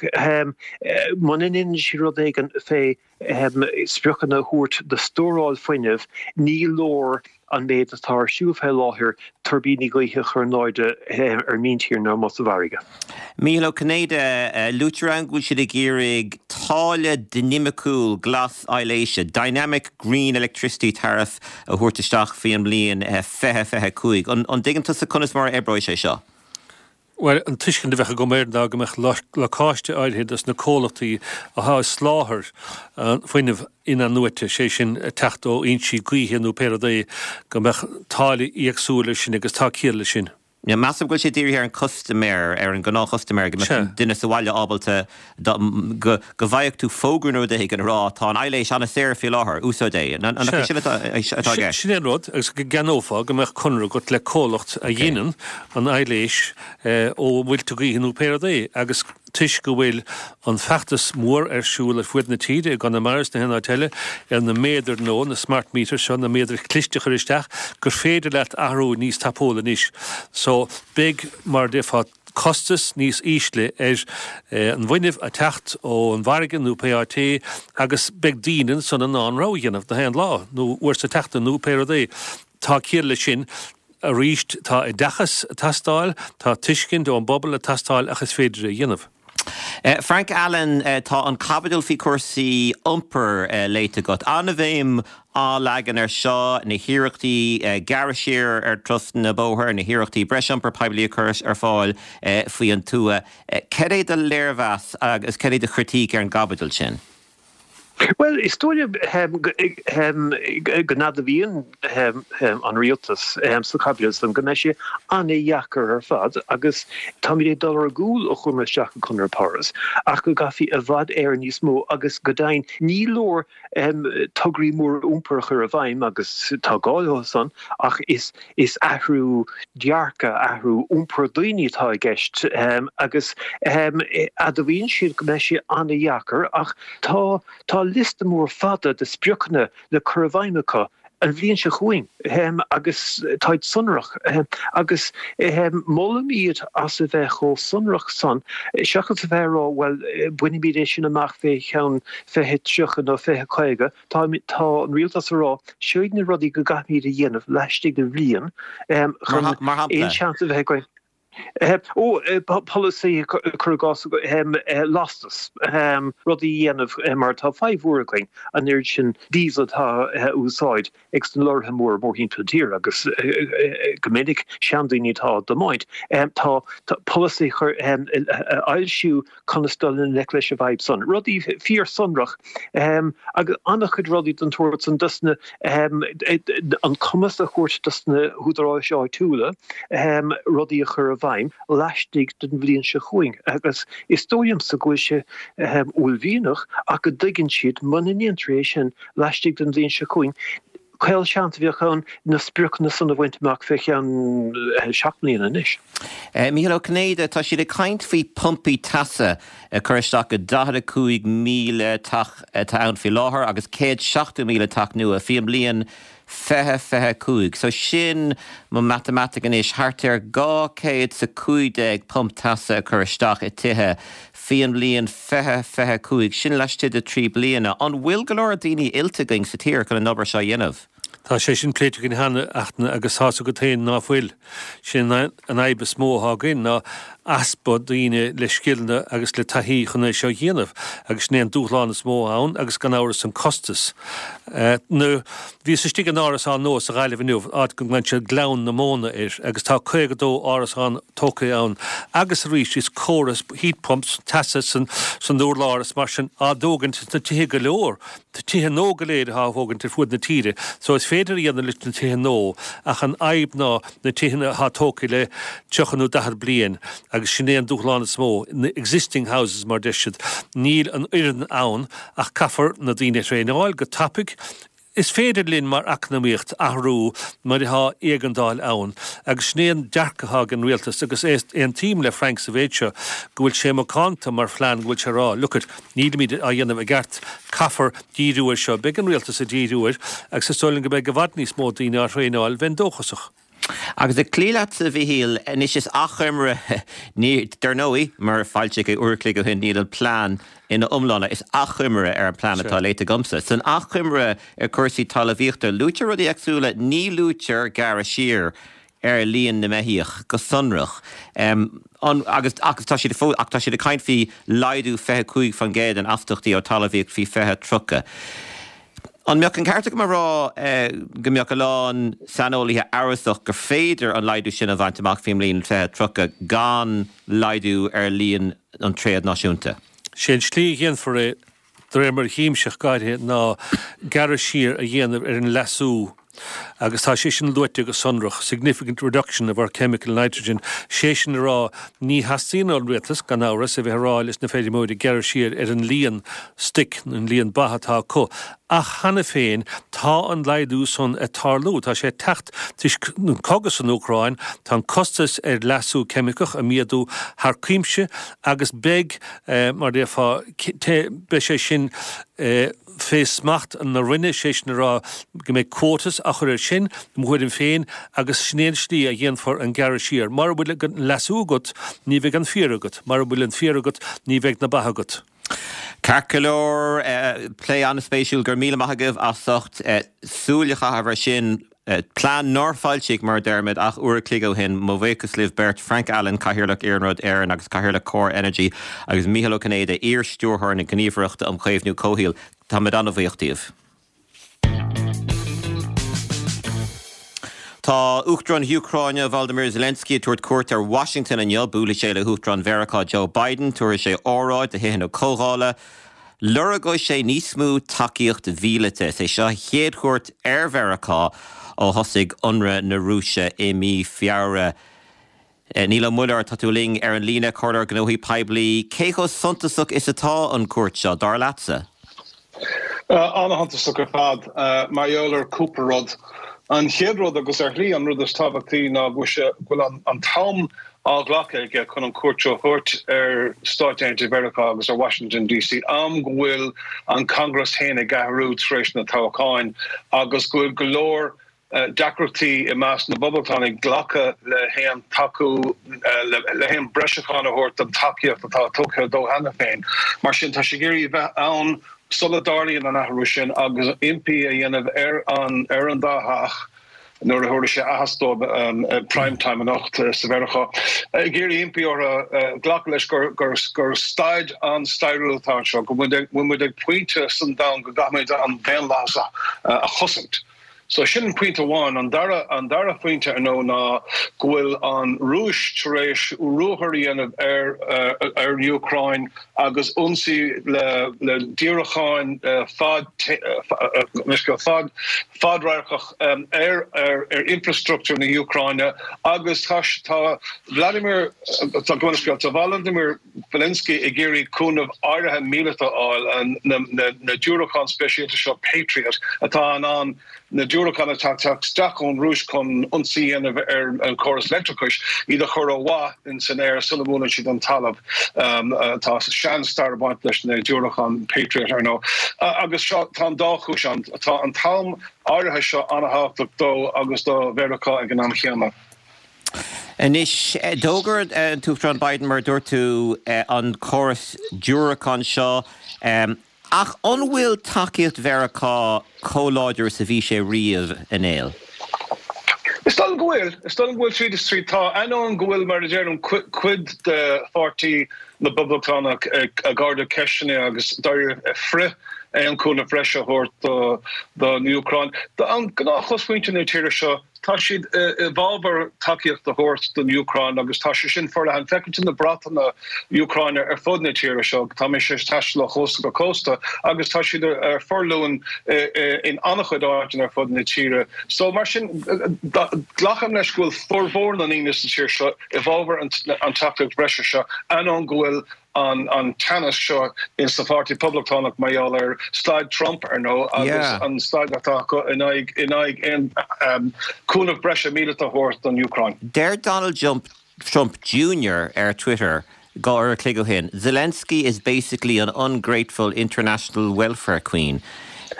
muna ndéanann siad rud éigin fé spriocanna a thabhairt do stóráil fuinnimh, ní leor an méid atá ar siúl fé láthair, tuirbíní gaoithe a chur in airde ar míntír nó amuigh sa bhfarraige. Mícheál Ó Cinnéide, Luaitear ann go bhfuil siad ag iarraidh táille dinimiciúil glas aibhléise, Dynamic Green Electricity Tariff, a thabhairt isteach faoi an mbliain fiche fiche cúig. An dtuigeann tusa conas mar a oibreoidh sé seo? Bhuel, an tuiscint a bheadh agam air ná go mbeadh lacáiste áirithe dos na comhlachtaí atá ag soláthar an fuinneamh in-athnuaite, sé sin ag teacht ó fhoinsí gaoithe nó pé rud é, go mbeadh táille éagsúil air sin agus tá ciall leis sin. Measaim go bhfuil sé dírithe ar an custaiméir, ar an gnáthchustaiméir, go mbeadh an duine sa bhaile ábalta go go bhfaigheadh tú fógra nó rud éigin ag rá tá an aibhléis an-saor faoi láthair, úsáid é. An é sin atá i gceist? Sin é an rud, agus go gceannófá, go mbeadh conradh agat le comhlacht a dhéanann an aibhléis ó mhuilte gaoithe nó pé rud é, agus toisc go bhfuil an feachtas mór ar siúl ar fuaid na tíre, i gConamara is na haon áit eile, ar na méadair nua, na smart meters seo, na méadair chliste a chur isteach, gur féidir leat athrú níos tapúla anois. So, beidh, mar a déarfá, costas níos ísle ar an bhfuinneamh ag teacht ón bhfarraige nó pé áit é agus beidh daoine ansan in ann rogha a dhéanamh na haon lá nó uair sa tseachtain nó pé rud é. Tá ciall leis sin. Arís, tá oideachas ag teastáil, tá tuiscint ón bpobal ag teastáil ach is féidir é a dhéanamh. Frank Allen, tá an chaibidil faoi chúrsaí iompair léite agat. An-bhéim á leagan ar seo, na hiarrachtaí gearradh siar ar turasanna bóthair, na hiarrachtaí breis iompar poiblí a chur ar fáil faoi an tuath. Cad é do léirmheas agus cad é do chritíc ar an gcaibidil sin? Bhuel, is dóigh liom go n-admhaíonn an rialtas sa chaibidil san go mbeidh sé an-dheacair ar fad agus táimid ag dul ar gcúl ó chuamar isteach i gConradh Páras ach go gcaithfí i bhfad Éireann níos mó agus go deimhin ní leor tograí móra iompair a chur i bhfeidhm agus tá gá leo san ach is Is athrú dearcaidh, athrú iompair daoine atá i gceist agus admhaíonn siad go mbeidh sé an-dheacair ach tá tá liosta mór fada de spriocanna le cur i bhfeidhm acu an bhliain seo chugainn agus táid sonrach agus molaim iad as a bheith chomh sonrach san seachas a bheith ag rá bhuel bainfimid é sin amach fé cheann fiche tríocha nó fiche caoga. Tá an rialtas ag rá, seo iad na rudaí go gcaithfimid a dhéanamh laistigh de bhliain chun aon seans a bheith againn. Ó, polasaí, cuir i gcás, lastas, rudaí a dhéanamh mar tá fadhb mhór againn, an oiread sin diesel atá á úsáid ag sna lorraithe móra mórthimpeall na tíre agus go minic seandaoine atá á dtiomáint. Tá polasaí a fhoilsiú conas dul i ngleic leis an bhfadhb san. Rudaí fíorshonrach agus an-chuid rudaí den tsórt san dos na, an cumas a thabhairt dos na húdaráis áitiúla rudaí a chur i bhfeidhm laistigh den bhliain seo chugainn agus is dóigh liomsa go bhfuil sé uaillmhianach ach go dtuigeann siad muna ndéantar é sin laistigh den bhliain seo chugainn, Caolseans a bheadh ann na spriocanna san a bhaint amach fé cheann seacht mbliana anois. Mícheál Ó Cinnéide, Tá siad ag caint faoi pumpaí teasa a chur isteach i daichead a cúig míle teach atá ann faoi láthair agus céad seachtó míle teach nua faoi an mbliain fiche fiche a cúig. So sin mo matamaitic anois, thart ar dhá chéad 's a cúig déag pump teasa a chur isteach i tithe faoi an mbliain fiche fiche a cúig, sin laistigh de trí bliana. An bhfuil go leor daoine oilte againn sa tír chun an obair seo a dhéanamh? Tá sé sin pléite againn cheana, a Fhachtna, agus tá's agat féin ná fuil. Sin an fhadhb is mó atá againn ná easpa daoine le scileanna agus le taithí chun é seo a dhéanamh agus sin é an dúshlán is mó ann agus gan amhras an costas. Nuair bhíos istigh in árasán nua sa Ghaillimh inniu, áit go nglaonn siad Gleann na Móna air agus tá caoga dó árasán tógtha ann agus arís is córas heat pumps teasa san san urlár is mar sin á dtógaint sna tithe go leor, tithe nua go léir atá á thógaint ar fuaid na tíre so is féidir a dhéanamh leis na tithe nua ach an fhadhb ná na tithe atá tógtha le tríocha nó daichead bliain agus sin é an dúshlán is mó, na existing houses mar deir siad. Níl an fhoireann ann ach caithfear na daoine a thraenáil go tapaidh. Is féidir linn mar eacnamaíocht athrú nuair atá éigeandáil ann agus sin é an dearcadh atá ag an rialtas agus aontaím le Frank sa mhéid seo go bhfuil sé macánta mar phlean go bhfuil sé ag rá look it nílimid á dhéanamh i gceart caithfear díriú air seo. Beidh an rialtas ag díriú air agus is dóigh liom go mbeidh i bhfad níos mó daoine á thraenáil, bheinn dóchasach. Agus ag cloí leatsa, a Mhichíl, anois is achoimre, ní, dar ndóigh, mar a foilsíodh é uair a chloig ó shin, níl an plean ina iomláine, is achoimre ar an bplean atá léite agamsa. San achoimre ar chúrsaí talmhaíochta, luaitear rudaí éagsúla, ní luaitear gearradh siar ar líon na mbeithíoch go sonrach. An, agus, agus tá siad fós, ach tá siad ag caint faoi laghdú fiche cúig faoin gcéad in astaíochtaí ó talmhaíocht faoi fiche tríocha. An mbeadh an ceart agam a rá go mbeadh a lán saineolaithe amhrasach gur féidir an laghdú sin a bhaint amach faoin mbliain fiche tríocha gan laghdú ar líon an tréad náisiúnta? Sé an tslí a dhéanfar é, de réir mar a chímse ach go háirithe, ná gearradh siar a dhéanamh ar an leasú agus tá sé sin luaite go sonrach, significant reduction of our chemical nitrogen, sé sin a rá, ní theastaíonn ón rialtas, gan amhras, a bheith ag rá leis na feirmeoirí gearradh siar ar an líon stoic, an líon ba atá acu. Ach cheana féin, tá an laghdú san ag tarlú, tá sé ag teacht toisc an cogadh san Úcráin, tá an costas ar leasú ceimiceach ag méadú thar cuimse agus beidh, mar a déarfá, beidh sé sin fé smacht na Roinne, sé sin a rá go mbeidh quotas á chur air sin, i mo thuairim féin, agus sin é an slí a dhéanfar an gearradh siar. Mura bhfuil an leasú agat, ní bheidh an féar agat, mura bhfuil an féar agat, ní bheidh na ba agat. Ceart go leor, plé an-spéisiúil, go raibh míle maith agaibh as ucht súil a chaitheamh air sin. Plean nár foilsíodh, mar a deirimid, ach uair a chloig ó shin. Mo bhuíochas libh beirt, Frank Allen, Cathaoirleach Iarnród Éireann agus Cathaoirleach Core Energy, agus Mícheál Ó Cinnéide, iar-Stiúrthóir na Gníomhaireachta um Chaomhnú Comhshaoil. Táimid an-bhuíoch díobh. Tá Uachtarán na hÚcráine, Volodymyr Zelensky, ag tabhairt cuairt ar Washington inniu. Buailfidh sé le hUachtarán Mheiriceá Joe Biden. Tabharfaidh sé óráid do Thithe na Comhdhála. Lorgóidh sé níos mó tacaíocht mhíleata. Is é seo a chéad chuairt ar Mheiriceá ó thosaigh ionradh na Rúise i mí Feabhra. Niall Ó Muilleoir, tá tú linn ar an líne, Comhairleoir Gnóthaí Poiblí. Cé chomh suntasach is atá an cuairt seo, dar leatsa? An-shuntasach ar fad, mar gheall ar cúpla rud. An chéad rud, agus ar shlí an rud is tábhachtaí, ná go bhfuil an t-am á ghlacadh aige chun an cuairt seo a thabhairt ar Stáit Aontaithe Mheiriceá agus ar Washington DC, am go bhfuil an Congress féin ag athrú tar éis na toghcháin agus go bhfuil go leor deacrachtaí i measc na bPoblachtánach glacadh le haon tacú, le haon breisiúchán a thabhairt don tacaíocht atá tugtha dó cheana féin. Mar sin, tá sé ag iarraidh a bheith ann sula dtarlaíonn an athrú sin agus impí a dhéanamh ar an ar an dá theach nuair a thabharfaidh sé aitheasc dóibh prime time anocht sa Mheiriceá, ag iarraidh impí orthu glacadh leis gur gur staid an-stairiúil atá anseo, go bhfuil muid ag pointe san domhan go gcaithfimid an daonlathas a chosaint. So sin pointe amháin. An dara, an dara phointe, ar ndóigh, ná go bhfuil an Rúis tar éis ruathar a dhéanamh ar, ar an Úcráin agus ionsaí le, le diúracáin fad, fad, fadradharcach ar, ar, ar infrastruchtúr na hÚcráine agus tá, tá Vladimir, tá, tá Volodymyr Zelensky ag iarraidh cúnamh áirithe míleata a fháil, na, na, na diúracáin speisialta seo Patriot atá in ann na diúracáin atá ag teacht isteach ón Rúis chun ionsaí a dhéanamh ar an chóras leictreachais, iad a chur ó mhaith in san aer sula mbuaileann siad an talamh. Tá sean-stair ag baint leis na diúracáin Patriot, ar ndóigh. Agus seo, tá an dá chúis ann. Tá an t-am áirithe seo an-thábhachtach dó agus do Mheiriceá ag an am chéanna. Anois, d'fhógair an tUachtarán Biden, mar a dúirt tú, an córas diúracán seo. Ach an bhfuil tacaíocht Mheiriceá chomh láidir is a bhí sé riamh, a Néill? Is dóigh liom go bhfuil. Is dóigh liom go bhfuil tríd is tríd. Tá, ainneoin go bhfuil, mar a deirim, cuid de pháirtí na bPoblachtánach ag ardú ceisteanna agus dáiríre ag frith aon chúnamh breise a thabhairt don Úcráin, an gnáthchosmhuintir na tíre seo, Tá siad i bhfabhar tacaíocht a thabhairt don Úcráin agus tá sé sin forleathan. Feiceann tú na bratanna Úcráine ar fud na tíre seo. Tá mise ag taisteal ó chósta go cósta agus tá siad ar forluain in an-chuid áiteanna ar fud na tíre. So mar sin, glacaim leis go bhfuil formhór na ndaoine sa tír seo i bhfabhar an tacaíocht bhreise seo, ainneoin go bhfuil an an teannas seo in sa Pháirtí Poblachtánach mar gheall ar staid Trump, ar ndóigh, agus an staid atá acu in aghaidh in aghaidh aon cúnamh breise míleata a thabhairt don Úcráin. Deir Donald Trump Junior ar Twitter dhá uair a chloig ó shin, Zelensky is basically an ungrateful international welfare queen.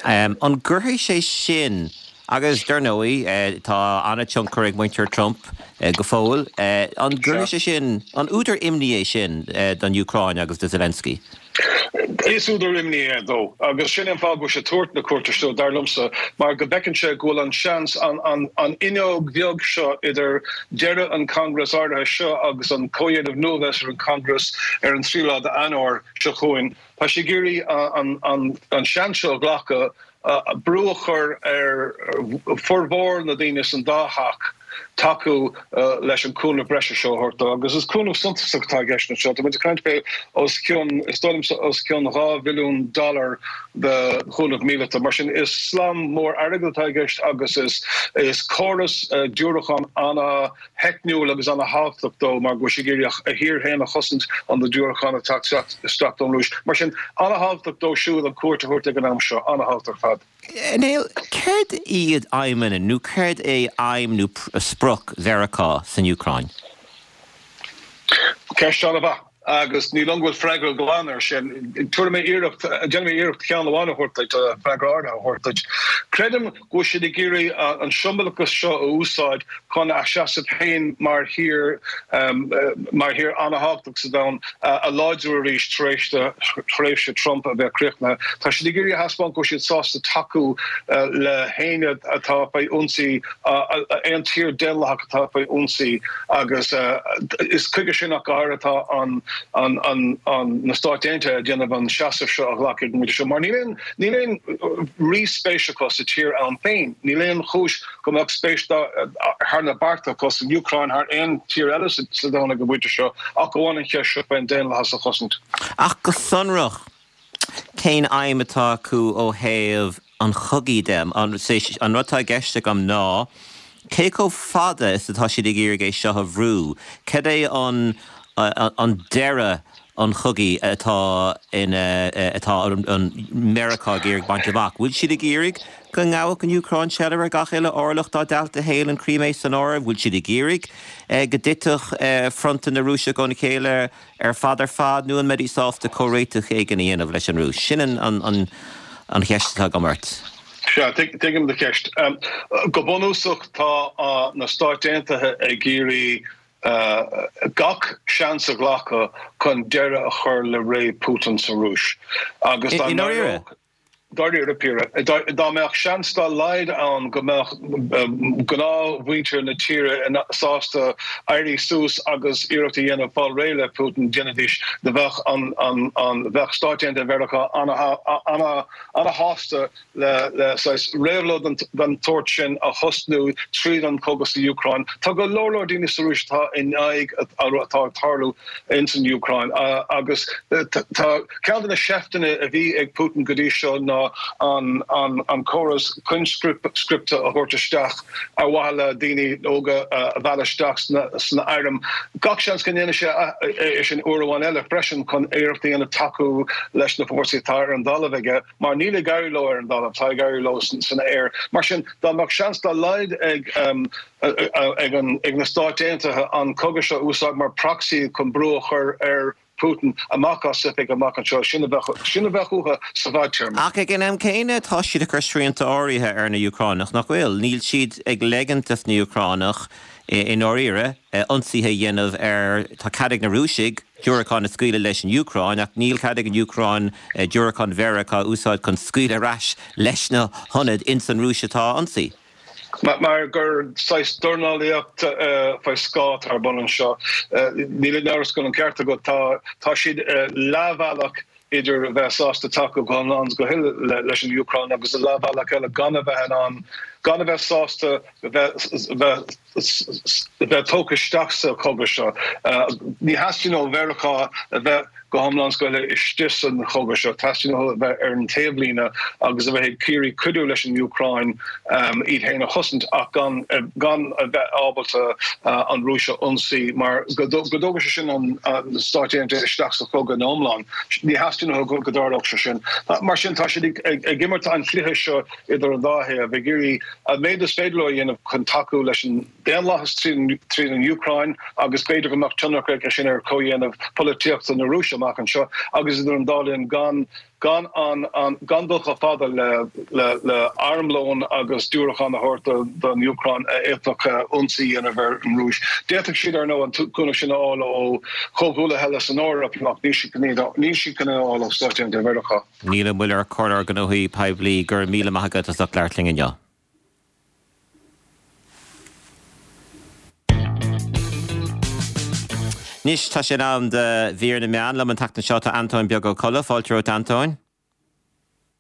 An gcuirfidh sé sin Agus, dar ndóigh, tá an-tionchar ag muintir Trump go fóill. An gcuirfidh sé sin, an údar imní é sin don Úcráin agus do Zelensky? Is údar imní é dó, agus sin é an fáth go bhfuil sé ag tabhairt na cuairte seo, dar liomsa, mar go bhfeiceann sé go bhfuil an seans, an fhuinneog bheag seo idir deireadh an Congress áirithe seo agus an comhdhéanamh nua a bheas ar an Congress ar an tríú lá d'Eanáir seo chugainn, tá sé ag iarraidh an seans seo a ghlacadh. brú a chur ar formhór na daoine san dá theach tacú leis an cúnamh breise seo a thabhairt dó. Agus is cúnamh suntasach atá i gceist anseo. Tá muid ag caint fé os cionn, is dóigh liomsa, os cionn dhá bhilliún dollar de chúnamh míleata. Mar sin, is slám mór airgid atá i gceist agus is is córas diúracán ana-theicniúil agus ana-thábhachtach dó mar go bhfuil sé ag iarraidh a thír féin a chosaint ó na diúracáin ag teacht isteach ón Rúis. Mar sin, ana-thábhachtach dó siúd an cuairt a thabhairt ag an am seo, ana-thábhachtach ar fad. Niall, céard iad aidhmeanna nó céard é aidhm nó sprioc Mheiriceá san Úcráin? Ceist an-mhaith, agus ní dóigh liom go bhfuil freagra glan air sin. Tabharfaidh mé iarracht, déanfaidh mé iarracht ceann amháin a thabhairt duit, freagra áirithe a thabhairt duit. Creidim go bhfuil siad ag iarraidh an siombalachas seo a úsáid chun a seasamh féin mar thír, mar thír an-thábhachtach sa domhan a láidriú arís tar éis do thréimhse Trump a bheith críochnaithe. Tá siad ag iarraidh a thaispeáint go bhfuil siad sásta tacú le héinne atá faoi ionsaí, aon tír daonlathach atá faoi ionsaí agus is chuige sin ach go háirithe atá an na Stáit Aontaithe ag déanamh an seasamh seo a ghlacadh ag an bpointe seo mar níl aon níl aon ríspéis acu sa tír ann féin. Níl aon chúis go mbeadh spéis thar na bearta acu san Úcráin thar aon tír eile sa domhan ag an bpointe seo ach amháin an cheist seo faoin daonlathas a chosaint. Ach go sonrach, cén aidhm atá acu ó thaobh an chogaidh de? An rud atá i gceist agam ná cé chomh fada is atá siad ag iarraidh é seo a bhrú? Cad é an an deireadh an chogaidh atá ina atá an Meiriceá ag iarraidh baint amach. Bhfuil siad ag iarraidh go ngabhfadh an Úcráin seilbh ar gach uile orlach dá dtailte féin, an Chrimé san áireamh? Bhfuil siad ag iarraidh go dtitfeadh fronta na Rúise óna chéile ar fad ar fad nó an mbeidís sásta comhréiteach éigin a dhéanamh leis an Rúis? Sin an an an cheist atá agam ort. Sea, tuigim do cheist. Go bunúsach tá na Stáit Aontaithe ag iarraidh gach seans a ghlacadh chun deireadh a chur le ré Putin sa Rúis agus dá ndáiríre. Dáiríre píre. Dá mbeadh seans dá laghad ann go mbeadh gnáthmhuintir na tíre sásta éirí suas agus iarracht a dhéanamh fáil réidh le Putin, déanfaidís. Bheadh an bheadh Stáit Aontaithe Mheiriceá ana-shásta le saghas réabhlóid den tsórt sin a thosnú tríd an chogadh sa Úcráin. Tá go leor leor daoine sa Rúis atá in aghaidh atá ag tarlú ins an Úcráin agus tá ceann de na seifteanna a bhí ag Putin go dtí seo ná an an córas coinscripte a thabhairt isteach ar mhaithe le daoine óga a mhealladh isteach sna airm. Gach seans go ndéanfaidh sé é sin uair amháin eile freisin chun iarracht a dhéanamh tacú leis na fórsaí atá ar an dtalamh aige. Mar níl ag éirí leo ar an dtalamh, tá ag éirí leo san aer. Mar sin, dá mbeadh seans dá laghad ag ag na Stáit Aontaithe an cogadh seo a úsáid mar proxy chun brú a chur ar Putin amach as oifig amach anseo, sin a bheadh sin a bheadh uathu sa bhfadtéarma. Ach ag an am céanna, tá siad ag cur srianta áirithe ar na Úcránaigh, nach bhfuil? Níl siad ag leigint dos na Úcránaigh i ndáiríre, ionsaithe a dhéanamh ar, tá cead ag na Rúisigh diúracáin a scaoileadh leis an Úcráin, ach níl cead ag an Úcráin diúracáin Mheiriceá a úsáid chun scaoileadh ar ais leis na hionaid ins an Rúis atá á n-ionsaí. Mar gur saghas dornálaíocht faoi scáth atá ar bun anseo. Níl aon amhras go bhfuil an ceart agat, tá siad leathbhealach idir a bheith sásta tacú go hiomlán is go huile leis an Úcráin agus a leathbhealach eile gan a bheith in ann, gan a bheith sásta bheith bheith tógtha isteach sa chogadh seo. Ní theastaíonn ó Mheiriceá a bheith go hiomlán is go huile istigh sa chogadh seo, teastaíonn uathu a bheith ar an taobhlíne agus a bheith ag iarraidh cuidiú leis an Úcráin iad féin a chosaint ach gan gan a bheith ábalta an Rúis a ionsaí mar go dtógfaidh sé sin an Stáit Aontaithe isteach sa chogadh ina iomlán. Ní theastaíonn uathu go dtarlódh sé sin. Mar sin tá siad ag imirt an chluiche seo idir an dá thaobh, ag iarraidh an méid is féidir leo a dhéanamh chun tacú leis an daonlathas tríd an Úcráin agus b'fhéidir go mbeadh tionchar aige sin ar chomhdhéanamh polaitíochta na Rúise amach anseo agus idir an dá linn gan gan an gan dul chomh fada le le le armlón agus diúracáin a thabhairt don Úcráin a fhéadfadh ionsaí a dhéanamh ar an Rúis. D'fhéadfadh siad ar ndóigh an cúnamh sin a fháil ó chomhghuaillithe eile san Eoraip ach níl siad chun é a fháil ó Stáit Aontaithe Mheiriceá. Niall Ó Muilleoir, Comhairleoir Gnóthaí Poiblí, go raibh míle maith agat as ucht labhairt linn inniu. Anois tá sé in am do mhír na meán. Liom an tseachtain seo tá Antóin Beag Ó Colla. Fáilte romhat Antóin.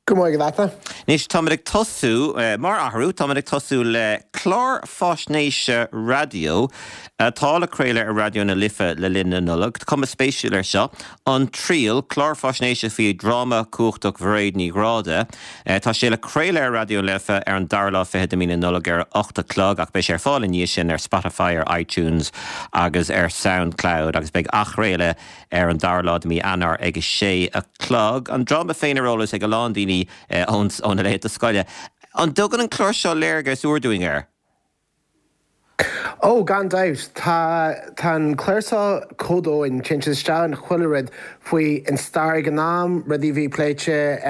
Go maith agat. Anois, táimid ag tosú, mar athrú, táimid ag tosú le clár faisnéise raidió atá le craoladh ar Raidió na Life le linn na Nollag. Tá cuma spéisiúil air seo, An Triail, clár faisnéise faoi dhráma cumhachtach Mhairéad Ní Ghráda. Tá sé le craoladh ar Raidió na Life ar an dara lá fichead de mí na Nollag ar a ocht a chlog ach beidh sé ar fáil i ndiaidh sin ar Spotify, ar iTunes agus ar Soundcloud agus beidh athchraoladh ar an dara lá de mí Eanáir ag a sé a chlog. An dráma féin ar eolas ag a lán daoine ó na laethanta scoile. An dtugann an clár seo léargas úr dúinn air? Ó, gan dabht. Tá tá an clár seo chomh domhain, téann sé isteach in chuile rud faoi an stair ag an am, rudaí a bhí pléite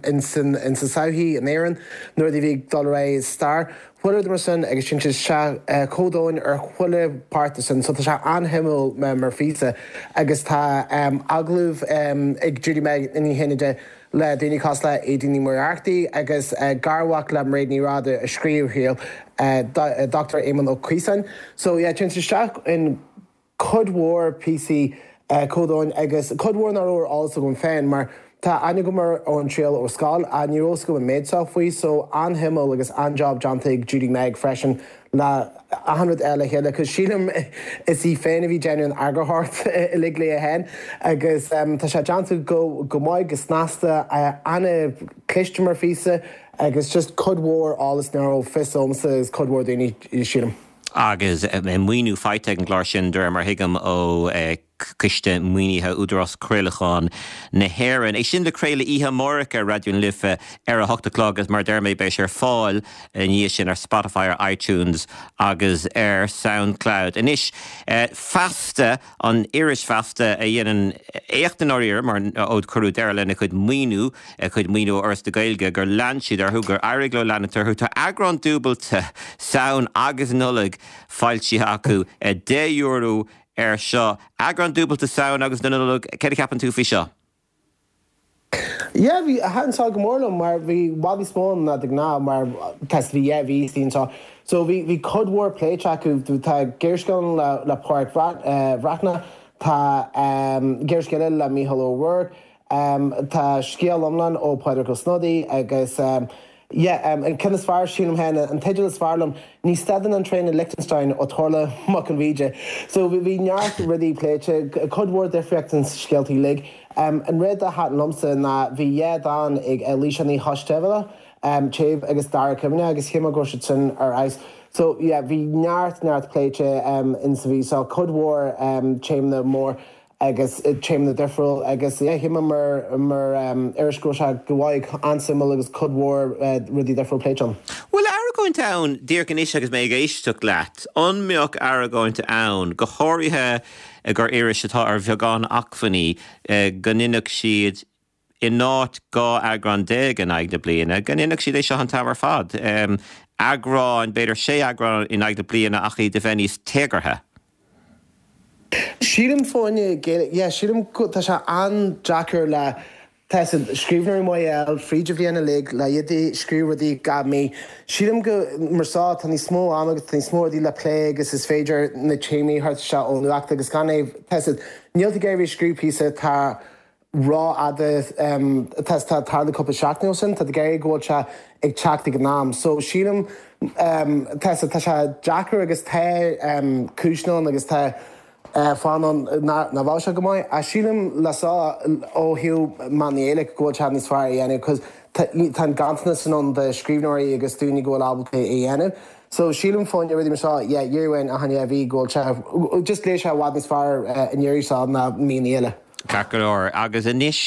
in san in sa tsochaí in Éirinn, na rudaí a bhí ag dul ar aghaidh i stair. Chuile rud mar sin agus téann sé isteach chomh domhain ar chuile páirt de sin so tá sé an-shuimiúil mar phíosa agus tá agallamh ag Judy-Meg Ní Chinnéide le daoine cosúil le Aedín Ní Mhuircheartaigh agus garmhac le Mairéad Ní Ghráda a scríobh an Triail, Dochtúir Éamonn Ó Caosáin. So yeah téann sé isteach in cuid mhór píosaí chomh domhain agus cuid mhór nach raibh ar eolas agam féin mar tá aithne agam ar an Triail ó scoil ach ní raibh fhios agam an méid seo faoi so an-shuimiúil agus an-job déanta ag Judy Meg freisin le achan rud eile le chéile cos sílim is í féin a bhí déanamh an eagarthóireacht uilig léi féin agus tá sé déanta go go maith go snasta an-chliste mar phíosa agus just cuid mhór eolas nach raibh fios agamsa agus cuid mhór daoine sílim. Agus maoiniú faighte ag an gclár sin, de réir mar a thuigim, ó Choiste Maoinithe Údarás Craolacháin na hÉireann. É sin le craoladh oíche amárach ar Raidió na Life ar a hocht a chlog agus mar a deir mé beidh sé ar fáil ina dhiaidh sin ar Spotify, ar iTunes agus ar Soundcloud. Anois, Feasta, an iris Feasta a dhéanann éacht i ndáiríre mar ó cuireadh deireadh lena cuid maoiniú, a cuid maoiniú ó Fhoras na Gaeilge, gur lean siad orthu, gur éirigh leo leanúint orthu. Tá eagrán dúbailte, Samhain agus Nollaig, foilsithe acu, deich euro air seo. Eagrán dúbailte Samhain agus na Nollag, céard a cheapann tú faoi seo? Yeah, bhí, thaitin seo go mór liom mar bhí i bhfad níos mó ann ná de ghnáth mar tá bhí dhá mhí istigh anseo. So bhí, bhí cuid mhór pléite acu, tá gearrscéal ann le, le Pádraic Breathnach, tá gearrscéal eile le Mícheál Ó Ruairc, Tá scéal iomlán ó Phádraig Ó Snodaigh agus yeah an ceann is fearr sílim féin, an teideal is fearr liom, Ní Stadann an Traein i Liechtenstein ó Thorla Mac an Bhíde. So bhí neart rudaí pléite, cuid mhór difríocht ins scéaltaí uilig. An rud a thaitin liomsa ná bhí dhá dán ag Laoise Ní Choisdealbha, Téamh agus Dara Cuimhne agus shíl mé go raibh siad sin ar fheabhas. So yeah bhí neart neart pléite ins an mhí seo, cuid mhór téamanna mór. agus téamanna difriúil agus yeah shíl mé mar mar iris go raibh sé go mhaith, an-suimiúil agus cuid mhór rudaí difriúil pléite ann. Bhfuil argóint ann, díreach anois agus mé ag éisteacht leat, an mbeadh argóint ann, go háirithe gur iris atá ar bheagán acmhainní, go ndéanfadh siad in áit dhá eagrán déag in aghaidh na bliana, go ndéanfadh siad é seo an t-am ar fad, eagráin, b'fhéidir sé eagrán in aghaidh na bliana ach iad a bheith níos téagartha? Sílim fáinne Gaeilge, yeah, sílim go, tá sé an-deacair le, tá a fhios agat, scríbhneoirí maithe a fháil fríd an bhliain uilig le iad ag scríobh rudaí gach mí. Sílim go, mar seo, tá níos mó ama agus tá níos mó rudaí le plé agus is féidir na téamaí a thabhairt isteach ón nuacht agus gan é, tá a fhios agat, níl tú ag iarraidh bheith ag scríobh píosa atá ró-fhada, tá atá ag tarlú cúpla seachtain ó shin, tá tú ag iarraidh go bhfuil sé ag teacht ag an am. So sílim, tá a fhios agat, tá sé deacair agus tá cúiseanna ann agus tá fáthanna ann nach bhfuil sé go maith ach sílim le seo ó thaobh Meán na Gaeilge go bhfuil sé níos fearr a dhéanamh cos tá an ganntanas sin ann de scríbhneoirí agus daoine go bhfuil ábalta é a dhéanamh. So sílim fá choinne rudaí mar seo, yeah, iarraidh uainn achan dhá mhí go bhfuil sé, just léigh sé i bhfad níos fearr an iarraidh seo ná míonna eile. Ceart go leor. Agus anois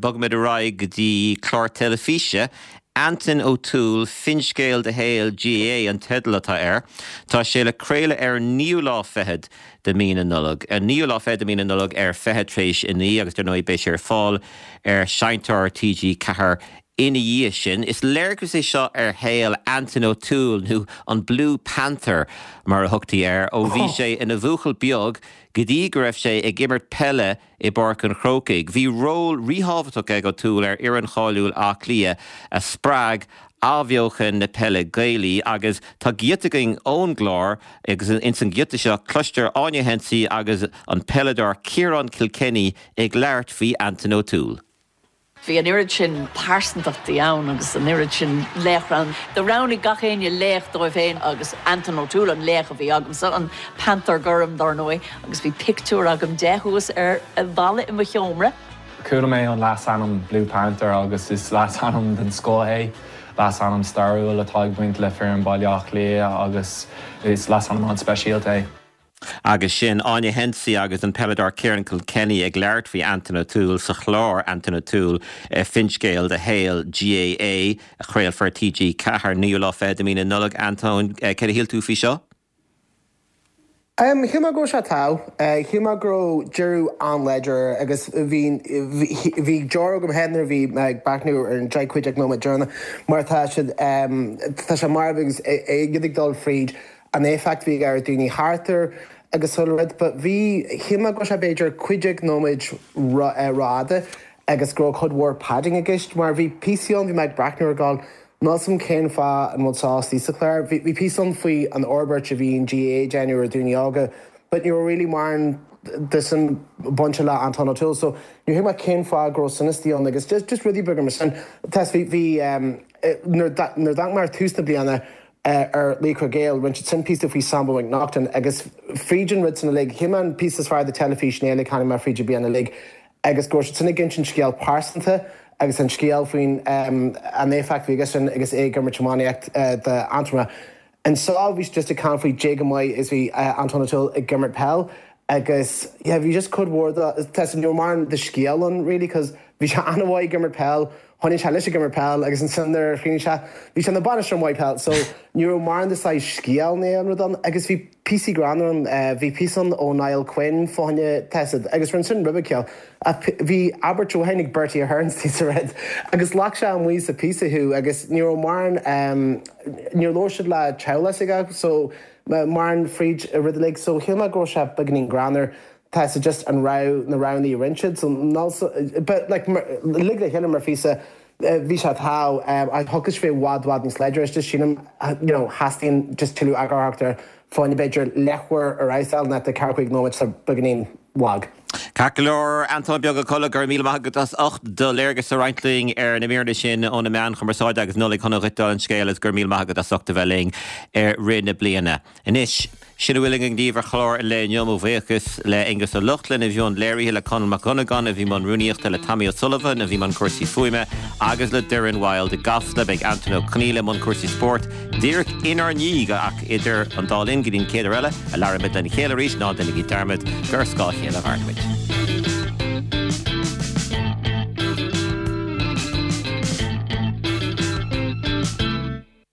bogfaimid ar aghaidh go dtí clár teilifíse, Anton O'Toole, Finscéal de Shaol GAA an teideal atá air. Tá sé le craoladh ar an naoú lá fichead de mí na Nollag. An naoú lá fichead de mí na Nollag ar fiche tar éis a naoi agus dar ndóigh beidh sé ar fáil ar Seinnteoir T G ceathair ina dhiaidh sin. Is léargas é seo ar shaol Anton O'Toole, nó an Blue Panther mar a thugtaí air, ó bhí sé ina bhuachaill beag go dtí go raibh sé ag imirt peile i bPáirc an Chrócaigh. Bhí ról ríthábhachtach ag O'Toole ar fhoireann cháiliúil Átha Cliath a spreag athbheochan na peile Gaelaí agus tá giota againn ón gclár agus ins an ghiota seo cloistear Áine Hensey agus an peileadóir Ciarán Kilkenny ag labhairt faoi Anton O'Toole. Bhí an oiread sin pearsantachtaí ann agus an oiread sin laochra ann. Do roghnaigh gach éinne laoch dóibh féin agus Anton O'Toole an laoch a bhí agamsa, an Panthère Gorm dar ndóigh, agus bhí pictiúr agam de thuas ar an bhalla i mo sheomra. Chuala mé an leasainm Blue Panther agus is leasainm den scoth é, leasainm stairiúil atá ag baint le foireann Baile Átha Cliath agus is leasainm an-speisialta é. Agus sin Áine Hensey agus an peileadóir Ciarán Kilkenny ag labhairt faoi Anton O'Toole sa chlár Anton O'Toole Finscéal do Shaol GAA a chraolfar TG Ceathair naoú lá fichead de mhí na Nollag Anton céard a shíl tú faoi seo? Um, Shíl mé go raibh sé togha, shíl mé go raibh deireadh an-láidir agus bhí bhí deor agam féin nuair a bhí mé ag breathnú ar an deich cúig déag nóiméad deireanach mar tá siad tá sé marbh agus iad ag dul fríd an éifeacht bhí ar daoine thart air agus chuile rud, but bhí shíl mé go raibh sé b'fhéidir cúig déag nóiméad rófhada agus go raibh cuid mhór padding i gceist mar bhí píosaí ann bhí mé ag breathnú ar gcall Níl 's a'm cén fáth an bhfuil seo istigh sa chlár. Bhí píosa ann faoi an fhorbairt a bhí an GAA ag déanamh ar daoine óga, but ní raibh really mórán de sin bainte le Anton O'Toole, so níor thuig mé cén fáth go raibh sin istigh ann agus just just rudaí beaga mar sin. Tá bhí bhí nuair nuair d'amharc mé ar tús na bliana ar Laochra Gael, rinne siad sin píosa faoi Sambo McNaughton agus fríd an rud sin uilig, shíl mé an píosa is fearr de teilifís na uilig tháinig mé fríd an bliain uilig agus go raibh siad sin ag insint scéal pearsanta agus an scéal faoin an éifeacht a bhí aige sin agus é ag imirt iománaíocht d'Aontroim. Anso bhí siad just ag caint faoi cé chomh maith is bhí Anton O'Toole ag imirt peil agus yeah bhí just cuid mhór de tá ní raibh mórán de scéal ann really cos bhí sé an-mhaith ag imirt peil, choinnigh sé leis ag imirt peil agus ansin nuair a chríochnaigh sé bhí sé ina bhainisteoir maith peil so ní raibh mórán de saghas scéal ná aon rud ann agus bhí píosaí greannmhar ann, bhí píosa ann ó Niall Quinn fá choinne taifead agus rinne sin ribe ceoil ach bhí abairt amháin ag Bertie Ahern sa rud agus ghlac sé amuigh sa phíosa thú agus ní raibh mórán níor labhair siad le teaghlach s'aige so mórán fríd an rud uilig so shíl mé go raibh sé beagáinín greannmhar tá sé just an rogha na roghanna a rinne siad so but like uilig le chéile mar phíosa bhí sé togha ach thiocfadh sé bheith i bhfad bhfad níos láidre just sílim you know theastaíonn just tuilleadh eagarthóireachta ar fáinne b'fhéidir leathuair ar fheabhas ná ceathracha cúig nóiméad sa beagáinín lag. Ceart go leor, Antóin Beag Ó Colla, go raibh míle maith agat as ucht do léargas a roinnt linn ar na míreanna sin ó na meáin chumarsáide agus Nollaig shona dhuit dála an scéil agus go raibh míle maith agat as ucht a bheith linn i rith na bliana. Anois, Sin a bhfuil againn daoibh ar chlár an lae inniu. Mo bhuíochas le Aengus Ó Lochlainn a bhí i mbun léirithe, le Conall Mac Dhonnagáin a bhí i mbun rúnaíochta, le Tommy O'Sullivan a bhí i mbun cúrsaí fuaime agus le Doireann Wild i gCasla. Beidh Antain Ó Conghaile i mbun cúrsaí spóirt díreach inár ndiaidh ach idir an dá linn go dtí an chéad uair eile a labhraímid lena chéile arís, ná déanaigí dearmad gur ar scáth a chéile a mhaireann muid.